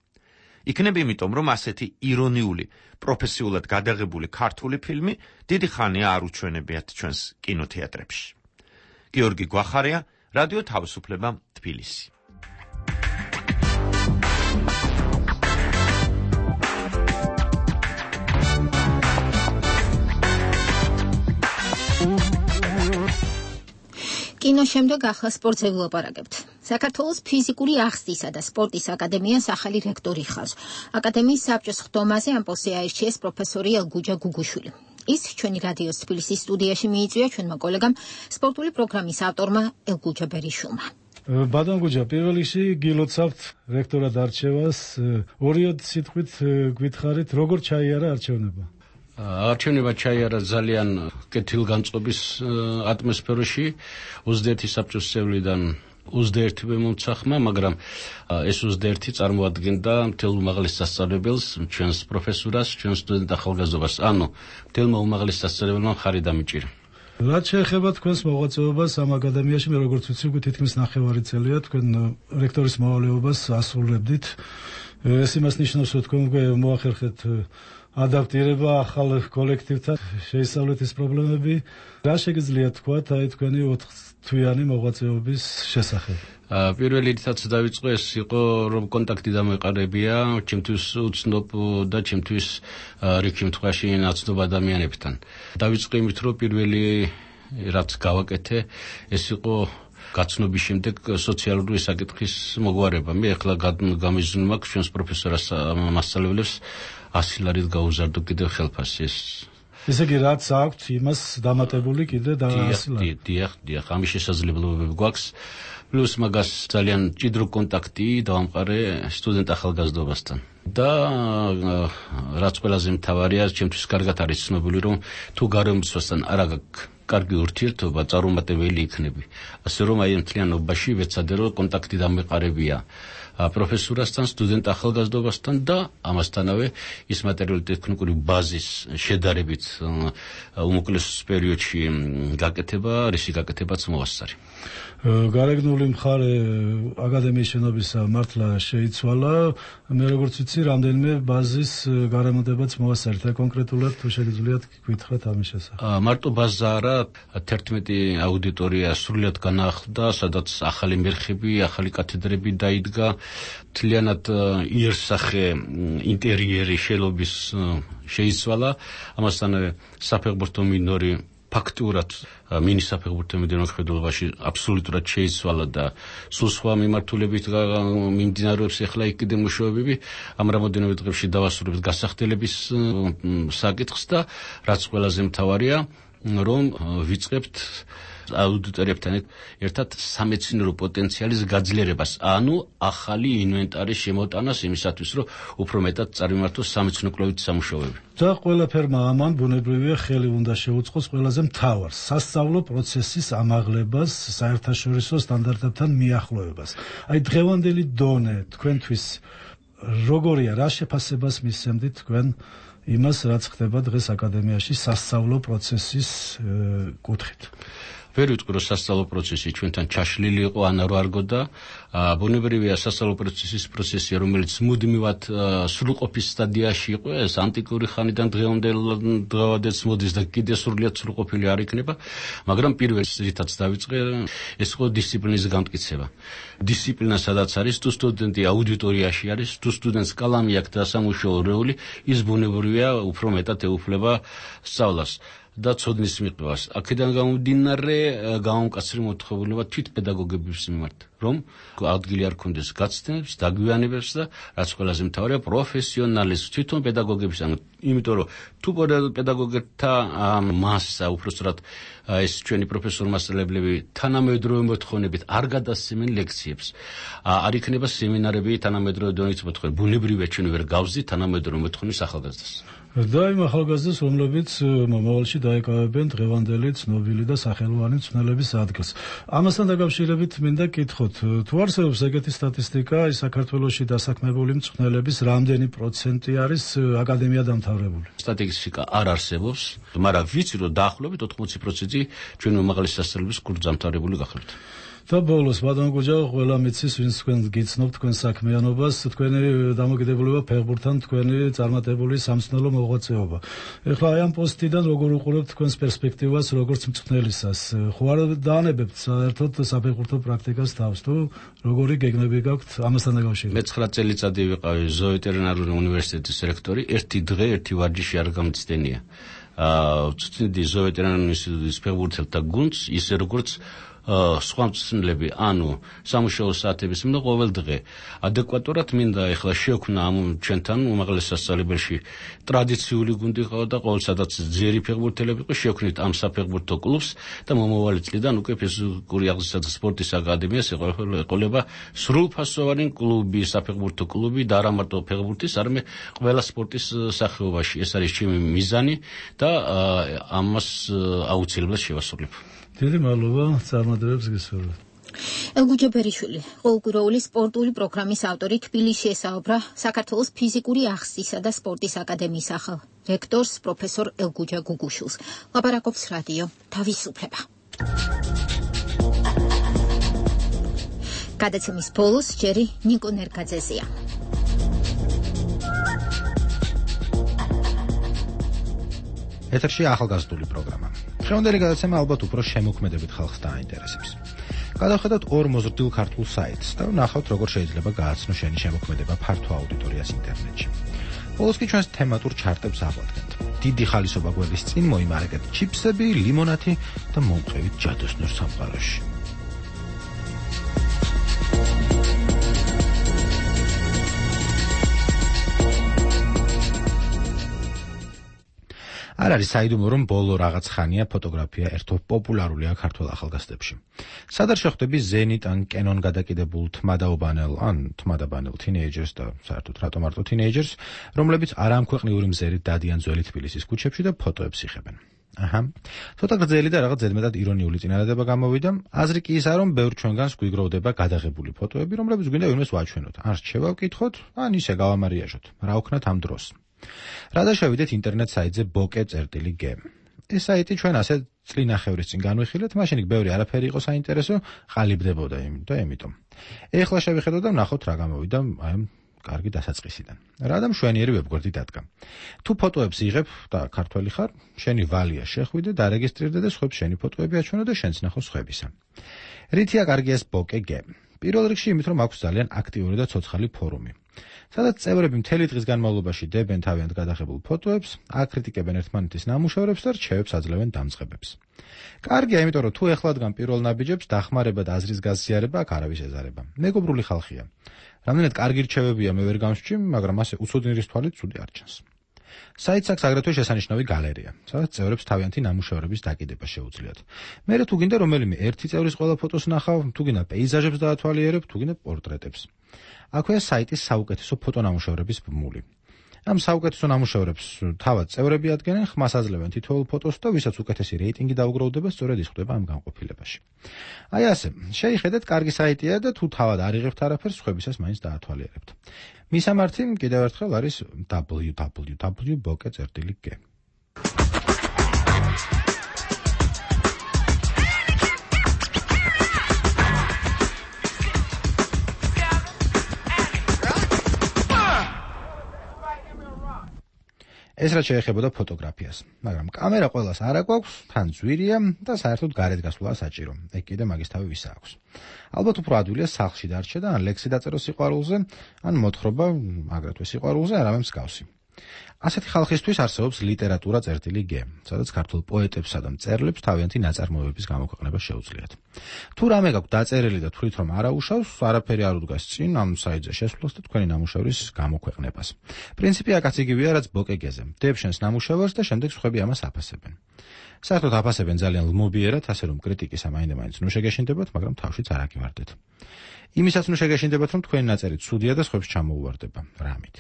იქნება იმიტომ, რომ ასეთი ირონიული, პროფესიულად გადაღებული ქართული ფილმი დიდი ხანია არ უჩვენებიათ ჩვენს კინოთეატრებში. გიორგი გვახარია, რადიო თავისუფლება, თბილისი. კინო შემდეგ ახლა სპორტზე ვილაპარაკებთ. საქართველოს ფიზიკური აღზრდისა და სპორტის აკადემიას ახალი რექტორი ხავს. აკადემიის საბჭოს ხდომაზე ამ პოსტზე აირჩიეს პროფესორი ელგუჯა გუგუშვილი. ის ჩვენი რადიოს თბილისის სტუდიაში მიიწვია ჩვენმა კოლეგამ სპორტული პროგრამის ავტორმა ელგუჯა ბერიშვილმა. ბადანგუჯა, პირველ რიგში გილოცავთ რექტორად არჩევას. ორიოდ სიტყვით გითხარით, როგორ ჩაიარა არჩევნება? არჩევნება ჩაიარა ძალიან კეთილგანწყობის ატმოსფეროში. 21 საბჭოს წევრიდან 21 მომცახმა, მაგრამ ეს 21 წარმოადგენდა მთელ უმაღლეს სასწავლებელს, ჩვენს პროფესურას, ჩვენს სტუდენტ ახალგაზრდობას. ანუ მთელმა უმაღლეს სასწავლებელმა ხარი დამიჭირა. რაც შეეხება თქვენს მოღვაწეობას ამ აკადემიაში, მე როგორც ვიცი, თითქმის 9 წელია თქვენ რექტორის მოვალეობას ასრულებდით. ეს იმას ნიშნავს, რომ თქვენ უკვე მოახერხეთ ადაპტირება ახალ კოლექტივთან, შეისწავლეთ ის პრობლემები. რა შეგიძლიათ თქვათ აი თქვენი 4 თვიანი მოღვაწეობის შესახებ? პირველი რითაც დავიწყო ეს იყო, რომ კონტაქტი დამეყარებია ჩემთვის უცნობ და ჩემთვის რიგი შემთხვევაში ნაცნობ ადამიანებთან. დავიწყო იმით, რომ პირველი რაც გავაკეთე, ეს იყო გაცნობის შემდეგ სოციალური საკითხის მოგვარება. მე ახლა გამიზნული მაქვს ჩვენს პროფესორას მასწავლებლებს 100 ლარით გაუზარდო კიდევ ხელფასი. ესე იგი, რაც აქვთ, იმას დამატებული კიდე და 100 ლარი. დიახ, ამის შესაძლებლობები გვაქვს. პლუს მაგას ძალიან ჭიდრო კონტაქტი დავამყარე სტუდენტ ახალგაზრდობასთან. და რაც ყველაზე მთავარია, ჩემთვის კარგად არის ცნობილი, რომ თუ გარემოცვასთან არ აქვს კარგი ურთიერთობა, წარუმატებელი იქნები. ასე რომ აი მთლიანობაში ვეცადე, რომ კონტაქტი დამეყარებია პროფესურასთან, სტუდენტ ახალგაზრდობასთან და ამასთანავე ის მატერიალური ტექნიკური ბაზის შედარებით უმოკლეს პერიოდში გაკეთება, რისი გაკეთებაც მოასწარი. გარეგნული მხარე აკადემიის შენობისა მართლა შეიცვალა. მე როგორც ვიცი, რამდენიმე ბაზის გარემონტებაც მოასწარეთ. კონკრეტულად თუ შეგიძლიათ გითხრათ ამის შესახებ. მარტო ბაზა არა, 11 აუდიტორია სრულად განახლდა, სადაც ახალი მერხები, ახალი კათედრები დაიდგა. მთლიანად იერსახე ინტერიერი შელობის შეიცვალა. ამასთანავე საფეხბურთო მინორი ფაქტურად მინი საფეხბურთო მინორის ხედულობაში აბსოლუტურად შეიცვალა და სულ სხვა მიმართულებით მიმდინარეობს ახლა იქ კიდე მუშაობები. ამ რამოდენიმე დღეში დავასრულებთ გასახდელების საკითხს და რაც ყველაზე მთავარია, რომ ვიწყებთ აუდიტორიებთან ერთად სამეცნიერო პოტენციალის გაძლიერებას, ანუ ახალი ინვენტარის შემოტანას იმისათვის, რომ უფრო მეტად წარმართოს სამეცნიერო კვლევით სამუშაოები. და ყველაფერმა ამან ბუნებრივია ხელი უნდა შეუწყოს ყველაზე მთავარს, სასწავლო პროცესის ამაღლებას, საერთაშორისო სტანდარტებთან მიახლოებას. აი დღევანდელი დონე თქვენთვის როგორია, რა შეფასებას მისცემთ თქვენ იმას, რაც ხდება დღეს აკადემიაში სასწავლო პროცესის კუთხით? ვერ ვიტყვი რომ სასწავლო პროცესი ჩვენთან ჩაშლილი იყო ან არ არგოდა ბუნებრივია სასწავლო პროცესი რომელიც მუდმივად სრულყოფის სტადიაში იყო ეს ანტიკური ხანიდან დღევანდელს მოდის და კიდე სრულიად სრულყოფილი არ იქნება მაგრამ პირველ რითაც დავიწყე ეს იყო დისციპლინის გამტკიცება დისციპლინა სადაც არის თუ სტუდენტი აუდიტორიაში არის თუ სტუდენტს კალამი აქვს და სამუშაო რეული ის ბუნებრივია უფრო მეტად ეუფლება სწავლას და ცოდნის მიღებას. აქედან გამომდინარე გამომკაცრი მოთხოვილება თვით პედაგოგების მიმართ, რომ ადგილი არ ქონდეს გაცდენებს, დაგვიანებებს და რაც ყველაზე მთავარია პროფესიონალიზმს თვითონ პედაგოგების, იმიტომ რომ თუ პედაგოგთა მასა უბრალოდ ეს ჩვენი პროფესორ-მასწავლებლები თანამედროვე მოთხოვნებით არ გადასცემენ ლექციებს. არ იქნება სემინარები თანამედროვე დონით მოთხოვნი. ბუნებრივია ჩვენ ვერ გავზით თანამედროვე მოთხოვნის ახალგაზრდას. და იმ ახალგაზრდას, რომლებიც მომავალში დაეკავებენ დღევანდელი ცნობილი და სახელოვანი მწვრთნელების ადგილს. ამასთან დაკავშირებით მინდა კითხოთ, თუ არსებობს ეგეთი სტატისტიკა, საქართველოში დასაქმებული მწვრთნელების რამდენი პროცენტი არის აკადემია დამთავრებული? სტატისტიკა არ არსებობს, მაგრამ ვიცი რომ დაახლოებით 80% ჩვენ უმაღლესი სასწავლებლის კურსს დამთავრებული გახლავთ. და ბოლოს ბატონ გუჯა ყველა მიცის ვინც თქვენ გიცნობთ თქვენ საქმიანობას თქვენი დამოკიდებულება ფეხბურთთან თქვენი წარმატებული სამწვრთნელო მოღვაწეობა ეხლა აი ამ პოსტიდან როგორ უყურებთ თქვენს პერსპექტივას როგორც მწვრთნელისას ხო არ დაანებებთ საერთოდ საფეხბურთო პრაქტიკას თავს თუ როგორი გეგმები გაქვთ ამასთან დაკავშირებით მე 9 წელიწადი ვიყავი ზოოვეტერინარული უნივერსიტეტის რექტორი ერთი დღე ერთი ვარჯიში არ გამწდენია ვწვდიდი ზოოვეტერინარული ინსტიტუტის ფეხბურთელთა გუნდს ისე როგორც სხვა მწვრთნელები, ანუ სამუშაო საათების მინდა ყოველ დღე. ადეკვატურად მინდა ეხლა შევქმნა ამ ჩვენთან უმაღლეს სასწავლებელში ტრადიციული გუნდი ყავდა და ყოველ სადაც ძლიერი ფეხბურთელები იყო შევქმნით ამ საფეხბურთო კლუბს და მომავალი წლიდან უკვე ფიზიკური აღზრდისა და სპორტის აკადემიას ეყოლება სრულფასოვანი კლუბი, საფეხბურთო კლუბი და არა მარტო ფეხბურთის, არამედ ყველა სპორტის სახეობაში. ეს არის ჩემი მიზანი და ამას აუცილებლად შევასრულებ. დიდი მადლობა წარმატებებს გისურვებთ. ელგუჯა ბერიშვილი, ყოველკვირეული სპორტული პროგრამის ავტორი თბილისში ესაუბრა საქართველოს ფიზიკური აღზრდისა და სპორტის აკადემიის ახალ რექტორს პროფესორ ელგუჯა გუგუშვილს. ლაპარაკობს რადიო თავისუფლება. გადაცემის ბოლოს ჯერი ნიკო ნერგაძეზია. ეთერში ახალგაზრდული პროგრამა. დღევანდელი გადაცემა ალბათ უფრო შემოქმედებით ხალხს დააინტერესებს. გადავხედოთ ორ მოზრდილ ქართულ საიტს და ვნახავთ როგორ შეიძლება გააცნო შენი შემოქმედება ფართო აუდიტორიას ინტერნეტში. ბოლოს კი ჩვენს თემატურ ჩარტებს აღვადგენთ. დიდი ხალისობა გვერდის წინ მოიმარაგეთ ჩიპსები, ლიმონათი და მომყევით ჯადოსნურ სამყაროში. არ არის საიდუმლო რომ ბოლო რაღაც ხანია ფოტოგრაფია ერთო პოპულარულია ქართულ ახალგაზრდებში. სად არ შეხვდები ზენიტ ან კენონ გადაკიდებულ თმადაობანელ ან თმადაბანელ თინეიჯერს და საერთოდ რატომ მარტო თინეიჯერს, რომლებიც არამქვეყნიური მზერით დადიან ძველი თბილისის ქუჩებში და ფოტოებს იღებენ. აჰა. ცოტა გრძელი და რაღაც ზედმეტად ირონიული წინადადება გამოვიდა. აზრი კი ისაა, რომ ბევრ ჩვენგანს გვიგროვდება გადაღებული ფოტოები, რომლებიც გვინდა ვინმეს ვაჩვენოთ. ან რჩევა ვკითხოთ, ან ისე გავამარიაჟოთ. რა ვქნათ ამ დროს? რადგან შევიდეთ ინტერნეტ საიტზე bokeh.g. ეს საიტი ჩვენ ასე წლინახევრის წინ განვიხილეთ, მაშინ იქ ბევრი არაფერი იყო საინტერესო, ყალიბდებოდა და ამიტომ. ეხლა შევიხედოთ და ვნახოთ რა გამოვიდა აი ამ კარგი დასაწყისიდან. რა და მშვენიერი ვებგვერდი დადგა. თუ ფოტოებს იღებ და ქართველი ხარ, შენი ვალია შეხვიდე, დარეგისტრირდე და სხვებს შენი ფოტოები აჩვენო და შენც ნახო სხვებისა. რითია კარგი ეს bokeh.g? პირველ რიგში იმით, რომ აქვს ძალიან აქტიური და ცოცხალი ფორუმი. სადაც წევრები მთელი დღის განმავლობაში დებენ თავიანთ გადაღებულ ფოტოებს, აკრიტიკებენ ერთმანეთის ნამუშევრებს და რჩევებს აძლევენ დამწყებებს. კარგია, იმიტომ რომ თუ ეხლადგან პირველ ნაბიჯებს დახმარება და აზრის გაზიარება აქ არავის ეზარება. მეგობრული ხალხია. რამდენად კარგი რჩევებია მე ვერ გამსჭი, მაგრამ ასე უცოდნირის თვალით ცუდი არ ჩანს. საიტს აქვს აგრეთვე შესანიშნავი გალერეა, სადაც წევრებს თავიანთი ნამუშევრების დაკიდება შეუძლიათ. მერე თუ გინდა რომელიმე ერთი წევრის ყველა ფოტოს ნახავ, თუ გინდა პეიზაჟებს დაათვალიერებ, თუ გინდა პორტრეტებს. აქვეა საიტის საუკეთესო ფოტონამუშევრების ბმული. ამ საუკეთესო ნამუშევრებს თავად წევრები ადგენენ, ხმას აძლევენ თითოეულ ფოტოს და ვისაც უკეთესი რეიტინგი დაუგროვდება, სწორედ ის ხდება ამ განყოფილებაში. აი ასე, შეიხედეთ, კარგი საიტია და თუ თავად არ იღებთ არაფერს, სხვებისას მაინც დაათვალიერებთ. მისამართი კიდევ ერთხელ არის www.bokeh.g. ეს რაც შეეხებოდა ფოტოგრაფიას, მაგრამ კამერა ყველას არ აქვს, თან ძვირია და საერთოდ გარეთ გასვლა საჭირო. ეგ კიდე მაგის თავი ვისა აქვს. ალბათ უფრო ადვილია სახლში დარჩა და ან ლექსი დაწერო სიყვარულზე, ან მოთხრობა აგრეთვე სიყვარულზე არავე მსგავსი. ასეთი ხალხისთვის არსებობს ლიტერატურა წერტილი გე, სადაც ქართულ პოეტებსა და მწერლებს თავიანთი ნაწარმოებების გამოქვეყნება შეუძლიათ. თუ რამე გაქვთ დაწერილი და თვლით რომ არაუშავს, არაფერი არ უდგას წინ ამ საიტზე შესვლას და თქვენი ნამუშევრის გამოქვეყნებას. პრინციპი აქაც იგივეა, რაც ბოკეგეზე. დებ შენს ნამუშევარს და შემდეგ სხვები ამას აფასებენ. საერთოდ აფასებენ ძალიან ლმობიერად, ასე რომ კრიტიკის ამაინდა-მაინც ნუ შეგეშინდებათ, მაგრამ თავშიც არ აგივარდეთ. იმისაც ნუ შეგეშინდებათ, რომ თქვენი ნაწერი ცუდია და სხვებს ჩამოუვარდება. რამით.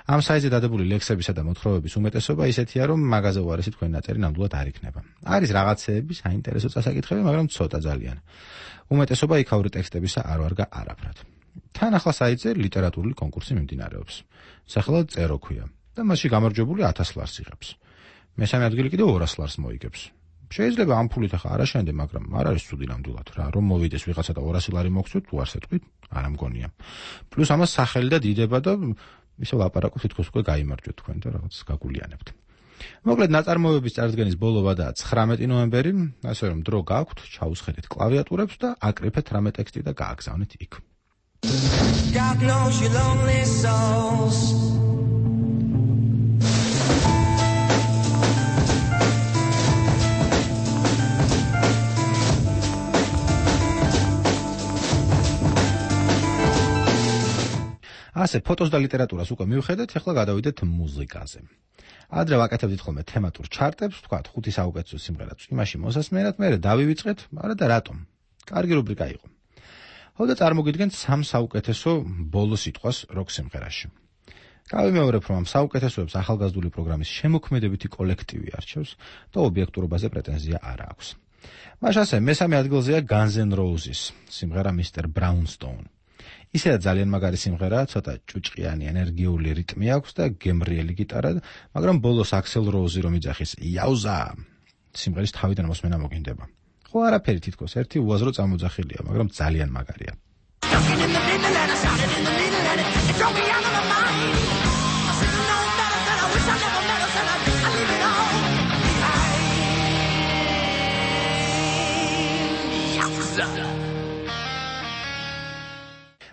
ამ საიტზე დადებული ლექსებისა და მოთხრობების უმეტესობა ისეთია, რომ მაგაზე უარესი თქვენი ნაწერი ნამდვილად არ იქნება. არის რაღაცეები, საინტერესო წასაკითხები, მაგრამ ცოტა ძალიან. უმეტესობა იქაური ტექსტებისა არ ვარგა არაფრად. თან ახლა საიტზე ლიტერატურული კონკურსი მიმდინარეობს. სახელად წერო ქვია და მასში გამარჯვებული 1000 ლარს იღებს. მესამე ადგილი კიდევ 200 ლარს მოიგებს. შეიძლება ამ ფულით ახლა არ აშენდე, მაგრამ არ არის ცუდი ნამდვილად რა, რომ მოვიდეს ვიღაცა და 200 ლარი მოგცვით, თუ არ სეტყვით, არ ამგონია. პლუს ამას სახელი და დიდება და ისე ლაპარაკობთ, თითქოს უკვე გაიმარჯვეთ თქვენ და რაღაც გაგულიანებთ. მოკლედ ნაწარმოებების წარდგენის ბოლო ვადაა 19 ნოემბერი, ასე რომ დრო გაქვთ, ჩაუსხედეთ კლავიატურებს და აკრიფეთ რამე ტექსტი და გააგზავნეთ იქ. God knows you lonely souls. ასე ფოტოს და ლიტერატურას უკვე მივხედეთ, ახლა გადავიდეთ მუსიკაზე. ადრე ვაკეთებდით ხოლმე თემატურ ჩარტებს, ვთქვათ, 5 საუკეთესო სიმღერაც იმაში მოსასმენად, მერე დავივიწყეთ, არა და რატომ? კარგი რუბრიკა იყო. ხოდა წარმოგიდგენთ 3 საუკეთესო ბოლო სიტყვას როკ სიმღერაში. გავიმეორებ, რომ ამ საუკეთესოებს ახალგაზრდული პროგრამის შემოქმედებითი კოლექტივი არჩევს და ობიექტურობაზე პრეტენზია არ აქვს. მას ასე მესამე ადგილზეა Guns N' Roses სიმღერა Mr. Brownstone. ისედაც ძალიან მაგარი სიმღერაა, ცოტა ჭუჭყიანი ენერგიული რიტმი აქვს და გემრიელი გიტარა, მაგრამ ბოლოს Axl Rose რომ იძახის იაუზა სიმღერის თავიდან მოსმენა მოგინდება. ხო არაფერი თითქოს ერთი უაზრო წამოძახილია, მაგრამ ძალიან მაგარია.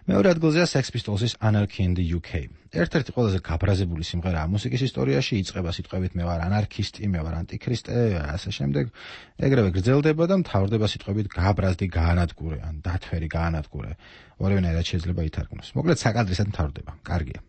მეორე ადგილზეა Sex Pistols-ის Anarchy in the UK. ერთ-ერთი ყველაზე გაბრაზებული სიმღერაა მუსიკის ისტორიაში, იწყება სიტყვებით მე ვარ ანარქისტი, მე ვარ ანტიქრისტე, ასე შემდეგ. ეგრევე გრძელდება და მთავრდება სიტყვებით გაბრაზდი გაანადგურე, ან დათვერი გაანადგურე. ორივენაირად შეიძლება ითარგმნოს. მოკლედ საკადრისად მთავრდება. კარგია.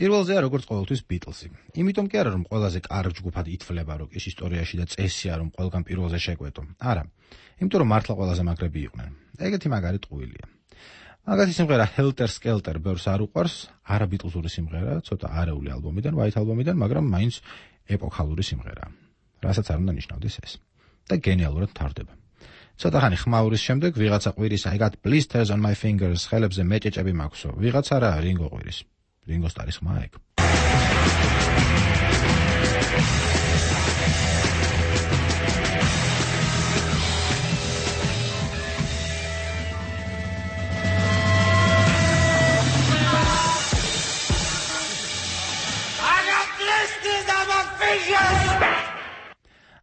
პირველზეა როგორც ყოველთვის Beatles-ი. იმიტომ კი არა რომ ყველაზე კარგ ჯგუფად ითვლება როკის ისტორიაში და წესია რომ ყველგან პირველზე შეკვეტო. არა. იმიტომ რომ მართლა ყველაზე მაგრები იყვნენ. ეგეთი მაგარი ტყუილია. მაგათი სიმღერა Helter Skelter ბევრს არ უყვარს, არა Beatles-ური სიმღერა, ცოტა არეული ალბომიდან, White ალბომიდან, მაგრამ მაინც ეპოქალური სიმღერაა. რასაც არ უნდა ნიშნავდეს ეს. და გენიალურად მთავრდება. ცოტა ხანი ხმაურის შემდეგ ვიღაცა ყვირის I got blisters on my fingers, ხელებზე მეჭეჭები მაქვსო. ვიღაცა რა რინგო ყვირის. Ringo Starr's mic.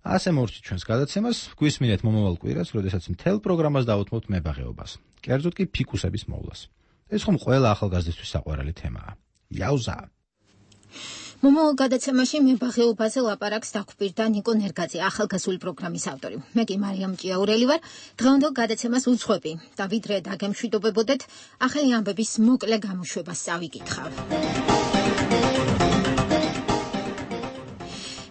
ასე მორჩით ჩვენს გადაცემას, გვისმინეთ მომავალ კვირას, როდესაც მთელ პროგრამას დავუთმობთ მებაღეობას. კერძოდ კი ფიკუსების მოვლას. ეს ხომ ყველა ახალგაზრდისთვის საყვარელი თემაა. იაუზა. მომავალ გადაცემაში მებაღეობაზე ლაპარაკს დაგვპირდა ნიკო ნერგაძე, ახალგაზრდული პროგრამის ავტორი. მე კი მარიამ ჭიაურელი ვარ. დღევანდელ გადაცემას უძღვები და ვიდრე დაგემშვიდობებოდეთ, ახალი ამბების მოკლე გამოშვებას წავიკითხავ.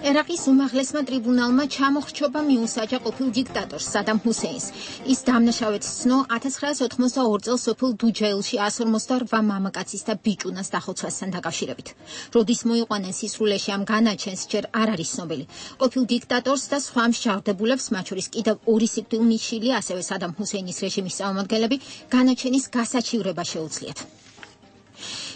ერაყის უმაღლესმა ტრიბუნალმა ჩამოხრჩობა მიუსაჯა ყოფილ დიქტატორს სადამ ჰუსეინს. ის დამნაშავედ ცნო 1982 წელს სოფელ დუჯაილში 148 მამაკაცის და ბიჭუნას დახოცვასთან დაკავშირებით. როდის მოიყვანენ სისრულეში ამ განაჩენს ჯერ არ არის ცნობილი. ყოფილ დიქტატორს და სხვა მსჯავრდებულებს, მათ შორის კიდევ 2 სიკვდილნი შილი, ასევე სადამ ჰუსეინის რეჟიმის წარმომადგენლები, განაჩენის გასაჩივრება შეუძლიათ.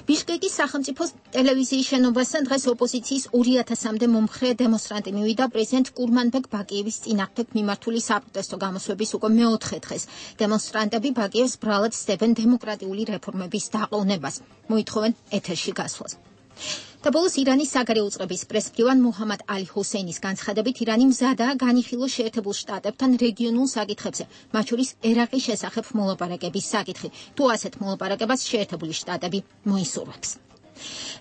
ბიშკეკის სახელმწიფო ტელევიზიის შენობასთან დღეს ოპოზიციის 2000-მდე მომხრე დემონსტრანტი მივიდა პრეზიდენტ კურმანბეკ ბაკიევის წინააღმდეგ მიმართული საპროტესტო გამოსვლების უკვე მეოთხე დღეს. დემონსტრანტები ბაკიევს ბრალად სდებენ დემოკრატიული რეფორმების დაყოვნებას. მოითხოვენ ეთერში გასვლას. და ბოლოს ირანის საგარეო უწყების პრესმდივან მუჰამად ალი ჰუსეინის განცხადებით ირანი მზადაა განიხილოს შეერთებულ შტატებთან რეგიონულ საკითხებზე, მათ შორის ერაყის შესახებ მოლაპარაკების საკითხი. თუ ასეთ მოლაპარაკებას შეერთებული შტატები მოისურვებს.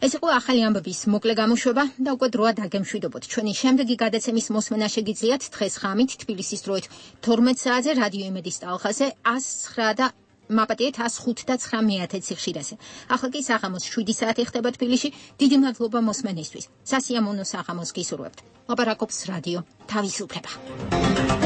ეს იყო ახალი ამბების მოკლე გამოშვება და უკვე დროა დაგემშვიდობოთ. ჩვენი შემდეგი გადაცემის მოსმენა შეგიძლიათ დღეს ღამით თბილისის დროით 12 საათზე რადიო იმედის ტალღაზე 109 და მაპატიეთ 105 და 9 სიხშირეზე. ახლა კი საღამოს 7 საათი ხდება თბილისში. დიდი მადლობა მოსმენისთვის. სასიამოვნო საღამოს გისურვებთ. ლაპარაკობს რადიო თავისუფლება.